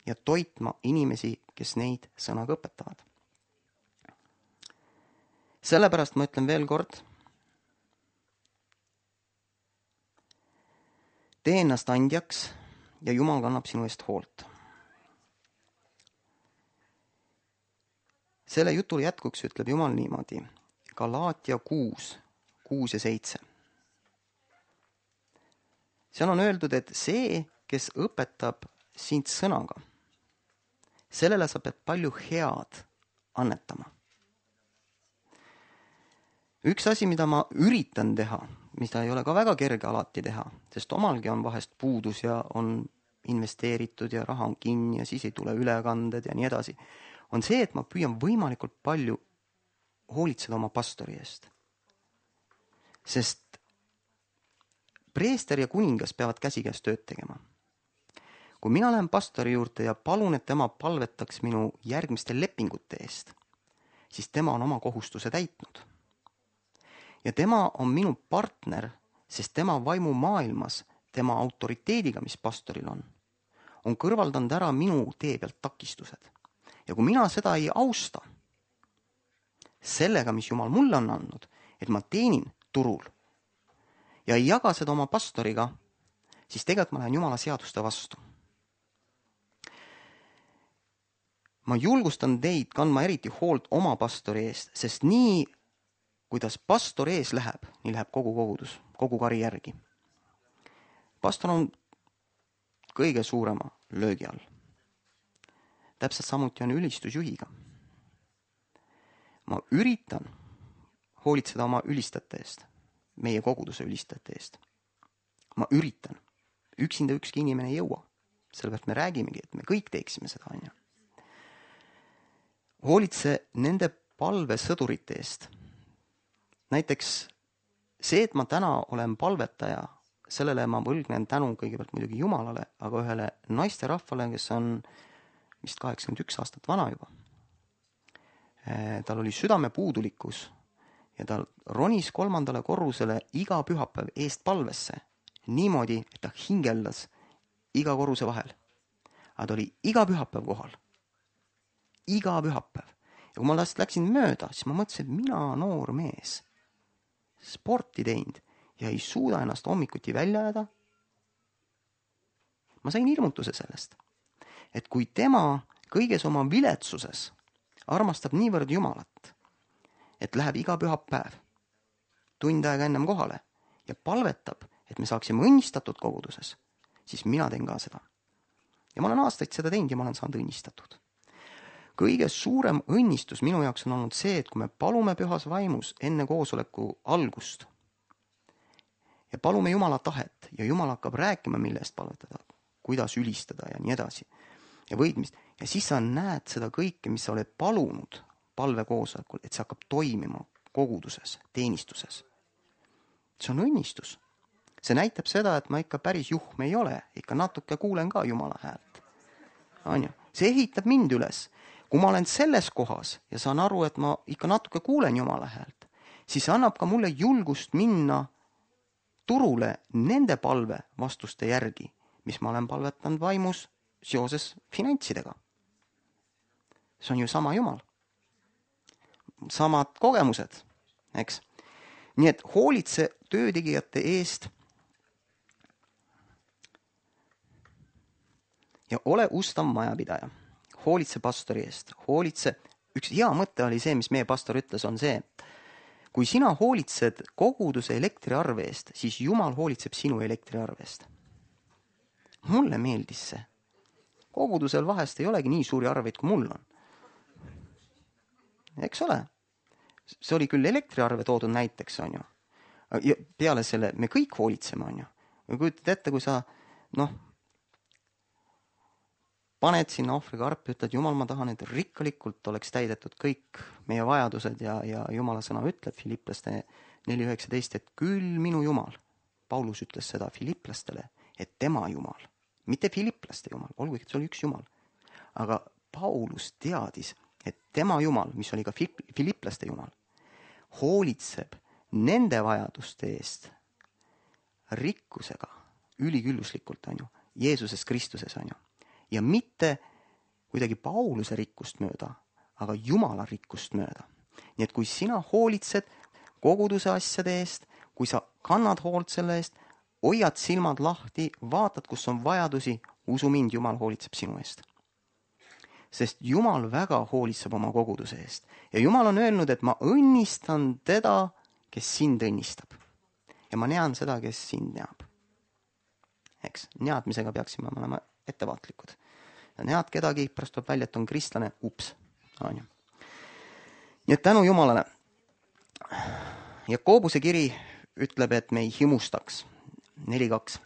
ja toitma inimesi, kes neid sõnaga õpetavad. Sellepärast ma ütlen veel kord, tee ennast andjaks ja Jumal kannab sinu eest hoolt. Selle jutule jätkuks ütleb Jumal niimoodi, Galaatia kuus, kuus ja seitse. Seal on öeldud, et see, kes õpetab sind sõnaga, sellele sa pead palju head annetama. Üks asi, mida ma üritan teha, mida ei ole ka väga kerge alati teha, sest omalgi on vahest puudus ja on investeeritud ja raha on kinni ja siis ei tule ülekanded ja nii edasi, on see, et ma püüan võimalikult palju hoolitseda oma pastori eest. Sest preester ja kuningas peavad käsikäes tööd tegema. Kui mina lähen pastori juurde ja palun, et tema palvetaks minu järgmiste lepingute eest, siis tema on oma kohustuse täitnud. Ja tema on minu partner, sest tema vaimu maailmas, tema autoriteediga, mis pastoril on, on kõrvaldanud ära minu tee pealt takistused. Ja kui mina seda ei austa, sellega, mis Jumal mulle on andnud, et ma teenin turul ja ei jaga seda oma pastoriga, siis tegelikult ma lähen Jumala seaduste vastu. Ma julgustan teid kandma eriti hoolt oma pastori eest, sest nii, kuidas pastor ees läheb, nii läheb kogu kogudus, kogu kari järgi. Pastor on kõige suurema löögi all. Täpselt samuti on ülistusjuhiga. Ma üritan hoolitseda oma ülistajate eest, meie koguduse ülistajate eest. Ma üritan. Üksinda ükski inimene ei jõua. Sellepärast me räägimegi, et me kõik teeksime seda. On ju. Hoolitse nende palvesõdurite eest. Näiteks see, et ma täna olen palvetaja, sellele ma võlgnen tänu kõigepealt muidugi Jumalale, aga ühele naiste rahvale, kes on vist kaheksakümmend üks aastat vana juba. Tal oli südame puudulikkus ja ta ronis kolmandale korrusele iga pühapäev eest palvesse niimoodi, et ta hingeldas iga korruse vahel. Aga ta oli iga pühapäev kohal. Iga pühapäev. Ja kui ma last läksin mööda, siis ma mõtlesin, et mina noor mees sporti teinud ja ei suuda ennast hommikuti välja jääda. Ma sain hirmutuse sellest, et kui tema kõiges oma viletsuses armastab niivõrd Jumalat, et läheb iga pühapäev tund aega ennem kohale ja palvetab, et me saaksime õnnistatud koguduses, siis mina teen ka seda. Ja ma olen aastaid seda teinud ja ma olen saanud õnnistatud. Kõige suurem õnnistus minu jaoks on olnud see, et kui me palume pühas vaimus enne koosoleku algust ja palume Jumala tahet ja Jumal hakkab rääkima, mille eest palvetada, kuidas ülistada ja nii edasi ja võidmist. Ja siis sa näed seda kõike, mis sa oled palunud palvekoosolekul, et see hakkab toimima koguduses, teenistuses. See on õnnistus. See näitab seda, et ma ikka päris juhm ei ole, ikka natuke kuulen ka Jumala häält. On ju? See ehitab mind üles. Kui ma olen selles kohas ja saan aru, et ma ikka natuke kuulen Jumala häält, siis annab ka mulle julgust minna turule nende palve vastuste järgi, mis ma olen palvetanud vaimus seoses finantsidega. See on ju sama Jumal. Samad kogemused, eks? Nii et hoolitse töötegijate eest ja ole ustav majapidaja. Hoolitse pastori eest. Hoolitse. Üks hea mõte oli see, mis meie pastor ütles, on see, et kui sina hoolitsed koguduse elektriarve eest, siis Jumal hoolitseb sinu elektriarve eest. Mulle meeldis see. Kogudusel vahest ei olegi nii suuri arveid, kui mul on. Eks ole? See oli küll elektriarve toodud näiteks, on ju. Ja peale selle me kõik hoolitseme, on ju. Ja kujutad ette, kui sa, noh, paned sinna ohvriga arpi, ütled, Jumal, ma tahan, et rikkalikult oleks täidetud kõik meie vajadused ja, ja Jumala sõna ütleb Filipplaste neli üheksateist, et küll minu Jumal. Paulus ütles seda Filipplastele, et tema Jumal, mitte Filipplaste Jumal, olgugi, et see oli üks Jumal. Aga Paulus teadis, et tema Jumal, mis oli ka Filipplaste Jumal, hoolitseb nende vajaduste eest rikkusega, ülikülluslikult, on ju, Jeesuses Kristuses, on ju. Ja mitte kuidagi Pauluse rikkust mööda, aga Jumala rikkust mööda. Nii et kui sina hoolitsed koguduse asjade eest, kui sa kannad hoolt selle eest, hoiad silmad lahti, vaatad, kus on vajadusi, usu mind, Jumal hoolitseb sinu eest. Sest Jumal väga hoolitseb oma koguduse eest. Ja Jumal on öelnud, et ma õnnistan teda, kes sind õnnistab. Ja ma nean seda, kes sind neab. Eks, neadmisega peaksime olema ettevaatlikud. ja näed kedagi, pärast tuleb välja, et on kristlane, ups. On ju. Nii et tänu Jumalale. Jakobuse kiri ütleb, et me ei himustaks. neli kaks.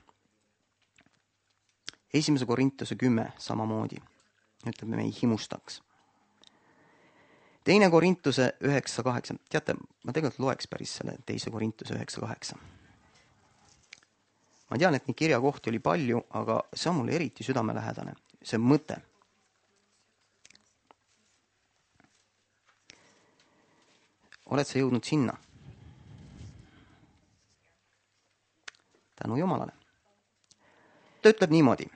Esimese Korintuse kümme samamoodi. Ütleb, me ei himustaks. Teine Korintuse üheksa kaheksa. Teate, ma tegelikult loeks päris selle teise Korintuse üheksa kaheksa. Ma tean, et nii kirjakohti oli palju, aga see on mulle eriti südamelähedane. See mõte. Oled sa jõudnud sinna? Tänu Jumalale. Ta ütleb niimoodi.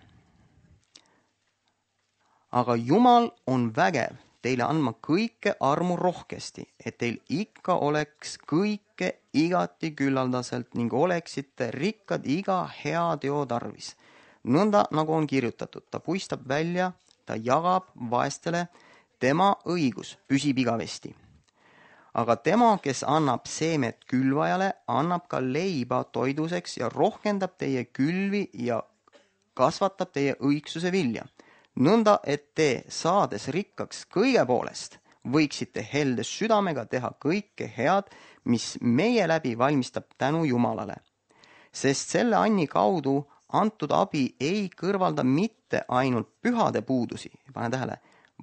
Aga Jumal on vägev teile andma kõike armu rohkesti, et teil ikka oleks kõike igati küllaldaselt ning oleksite rikkad iga hea teo tarvis. Nõnda nagu on kirjutatud, ta puistab välja, ta jagab vaestele, tema õigus püsib igavesti. Aga tema, kes annab seemet külvajale, annab ka leiba toiduseks ja rohkendab teie külvi ja kasvatab teie õigsuse vilja. Nõnda, et te saades rikkaks kõige poolest, võiksite heldes südamega teha kõike head, mis meie läbi valmistab tänu Jumalale. Sest selle anni kaudu antud abi ei kõrvalda mitte ainult pühade puudusi, pane tähele,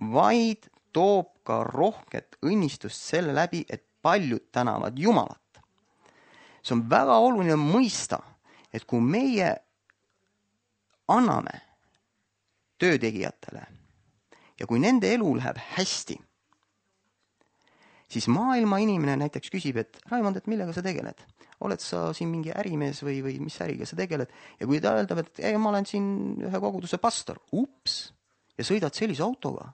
vaid toob ka rohket õnnistust selle läbi, et paljud tänavad Jumalat. See on väga oluline mõista, et kui meie anname töötegijatele ja kui nende elu läheb hästi, siis maailma inimene näiteks küsib, et Raimond, et millega sa tegeled? Oled sa siin mingi ärimees või, või mis äriga sa tegeled? Ja kui ta öeldab, et ei, ma olen siin ühe koguduse pastor, ups, ja sõidad sellise autoga,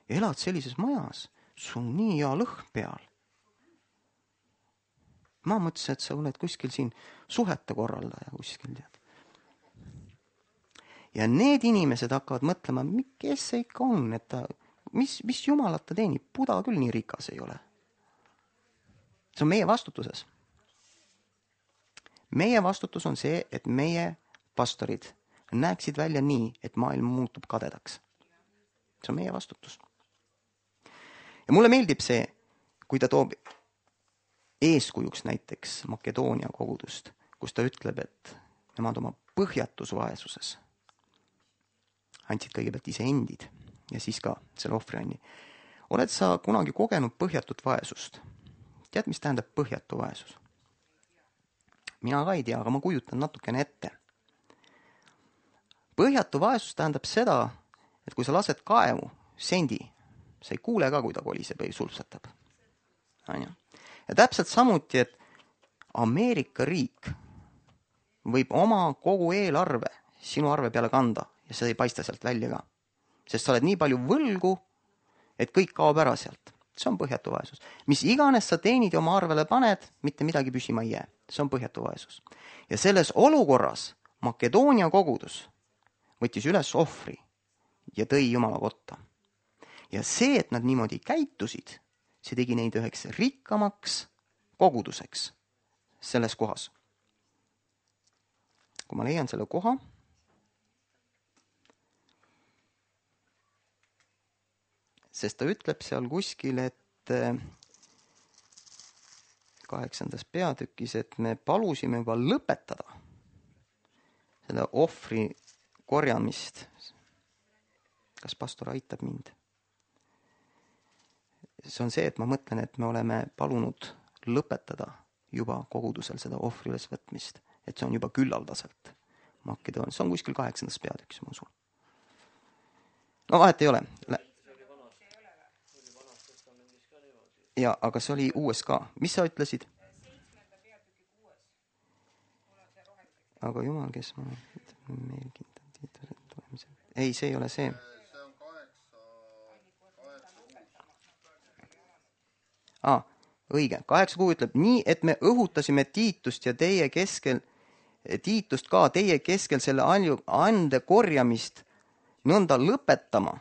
elad sellises majas, sul on nii hea lõhn peal. Ma mõtlesin, et sa oled kuskil siin suhete korraldaja kuskil, tead. Ja need inimesed hakkavad mõtlema, kes see ikka on, et ta, mis, mis Jumalat ta teenib, Buda küll nii rikas ei ole. See on meie vastutuses. Meie vastutus on see, et meie pastorid näeksid välja nii, et maailm muutub kadedaks. See on meie vastutus. Ja mulle meeldib see, kui ta toob eeskujuks näiteks Makedoonia kogudust, kus ta ütleb, et nemad oma põhjatus vaesuses andsid kõigepealt ise endid ja siis ka selle ohvrianni. Oled sa kunagi kogenud põhjatut vaesust? Tead, mis tähendab põhjatu vaesus? Mina ka ei tea, aga ma kujutan natukene ette. Põhjatu vaesus tähendab seda, et kui sa lased kaevu sendi, sa ei kuule ka, kui ta koliseb või sulpsatab. Ja täpselt samuti, et Ameerika riik võib oma kogu eelarve sinu arve peale kanda ja see ei paista sealt välja ka. Sest sa oled nii palju võlgu, et kõik kaob ära sealt. See on põhjatu vaesus. Mis iganes sa teenid ja oma arvele paned, mitte midagi püsima ei jää. See on põhjatu vaesus. Ja selles olukorras Makedoonia kogudus võttis üles ohvri ja tõi Jumala kotta. Ja see, et nad niimoodi käitusid, see tegi neid üheks rikkamaks koguduseks selles kohas. Kui ma leian selle koha, sest ta ütleb seal kuskil, et kaheksandas peatükis, et me palusime juba lõpetada selle ohvri korjamist. Kas pastor aitab mind? See on see, et ma mõtlen, et me oleme palunud lõpetada juba kogudusel seda ohvri ülesvõtmist, et see on juba küllaldaselt Makedoonia. See on kuskil kaheksandas peatükis, ma usun. No vahet ei ole. Ja, aga see oli uues ka. Mis sa ütlesid? Aga Jumal, kes ma meil kindlasti... Ei, see ei ole see. Ah, õige. Kaheksa kuu ütleb, nii, et me õhutasime Tiitust ja teie keskel, Tiitust ka teie keskel selle ande korjamist nõnda lõpetama,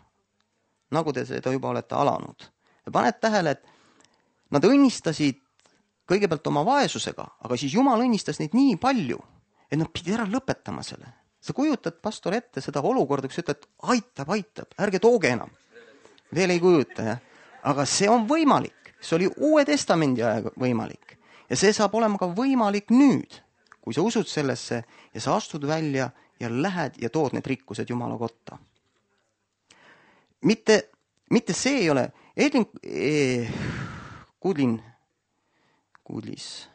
nagu te seda juba olete alanud. Ja paned tähele, et nad õnnistasid kõigepealt oma vaesusega, aga siis Jumal õnnistas neid nii palju, et nad pidid ära lõpetama selle. sa kujutad, pastor, ette seda olukorda, kus ütled, aitab, aitab, ärge tooge enam. Veel ei kujuta, jah. Aga see on võimalik. See oli Uue Testamendi aega võimalik. Ja see saab olema ka võimalik nüüd, kui sa usud sellesse ja sa astud välja ja lähed ja tood need rikkused Jumala kotta. Mitte, mitte see ei ole, Edlin, eh, Kudlin, Kudlis,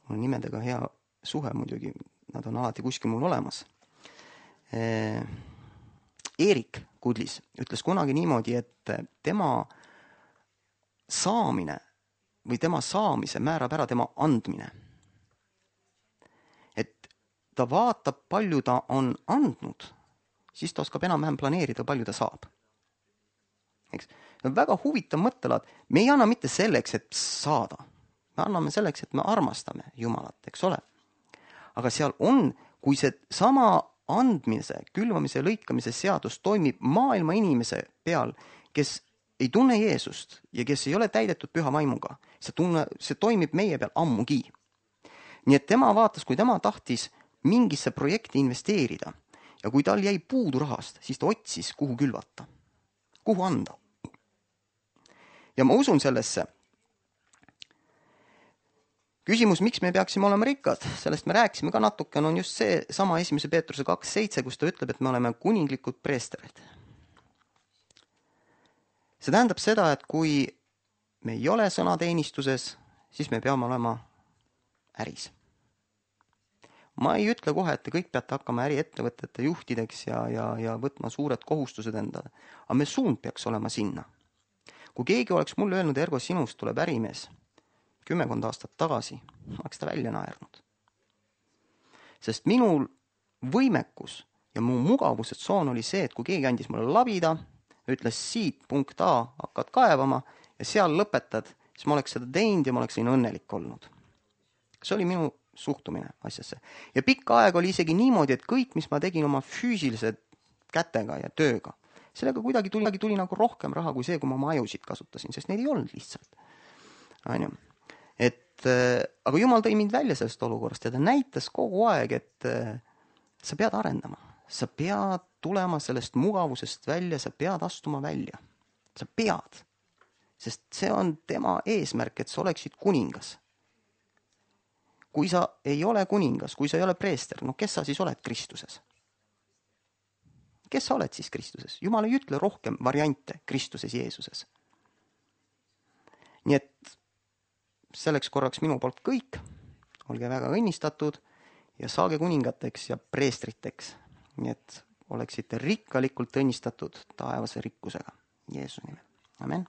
mul on nimedega hea suhe muidugi, nad on alati kuskil mul olemas. Eh, Eerik Kudlis ütles kunagi niimoodi, et tema saamine või tema saamise määrab ära tema andmine. Et ta vaatab, palju ta on andnud, siis ta oskab enam-vähem planeerida, palju ta saab. Eks? See on väga huvitav mõttelaad. Me ei anna mitte selleks, et saada. Me anname selleks, et me armastame Jumalat, eks ole. Aga seal on, kui see sama andmise, külvamise ja lõikamise seadus toimib maailma inimese peal, kes ei tunne Jeesust ja kes ei ole täidetud püha vaimuga, see, tunne, see toimib meie peal ammugi. Nii et tema vaatas, kui tema tahtis mingisse projekti investeerida ja kui tal jäi puudu rahast, siis ta otsis, kuhu külvata, kuhu anda. Ja ma usun sellesse. Küsimus, miks me peaksime olema rikkad, sellest me rääkisime ka natuke, on just see sama esimese Peetruse kaks seitse, kus ta ütleb, et me oleme kuninglikud preesterid. See tähendab seda, et kui me ei ole sõnateenistuses, siis me peame olema äris. Ma ei ütle kohe, et te kõik peate hakkama äriettevõtete juhtideks ja, ja, ja võtma suured kohustused endale, aga me suund peaks olema sinna. Kui keegi oleks mulle öelnud, Ergo, sinust tuleb ärimees, kümmekond aastat tagasi, oleks ta välja naernud. Sest minul võimekus ja mu mugavused-soon oli see, et kui keegi andis mulle labida, ütles siit punkt A hakkad kaevama ja seal lõpetad, siis ma oleks seda teinud ja ma oleks siin õnnelik olnud. See oli minu suhtumine asjasse. Ja pikka aega oli isegi niimoodi, et kõik, mis ma tegin oma füüsilise kätega ja tööga, sellega kuidagi tuli, tuli nagu rohkem raha kui see, kui ma oma ajusid kasutasin, sest neid ei olnud lihtsalt. Ainu. Et, aga Jumal tõi mind välja sellest olukorrast ja ta näitas kogu aeg, et sa pead arendama. Sa pead tulema sellest mugavusest välja, sa pead astuma välja. Sa pead. Sest see on tema eesmärk, et sa oleksid kuningas. Kui sa ei ole kuningas, kui sa ei ole preester, no kes sa siis oled Kristuses? Kes sa oled siis Kristuses? Jumal ei ütle rohkem variante Kristuses Jeesuses. Nii et selleks korraks minu poolt kõik, olge väga õnnistatud ja saage kuningateks ja preestriteks. Nii et oleksite rikkalikult õnnistatud taevase rikkusega Jeesuse nimel. Amen.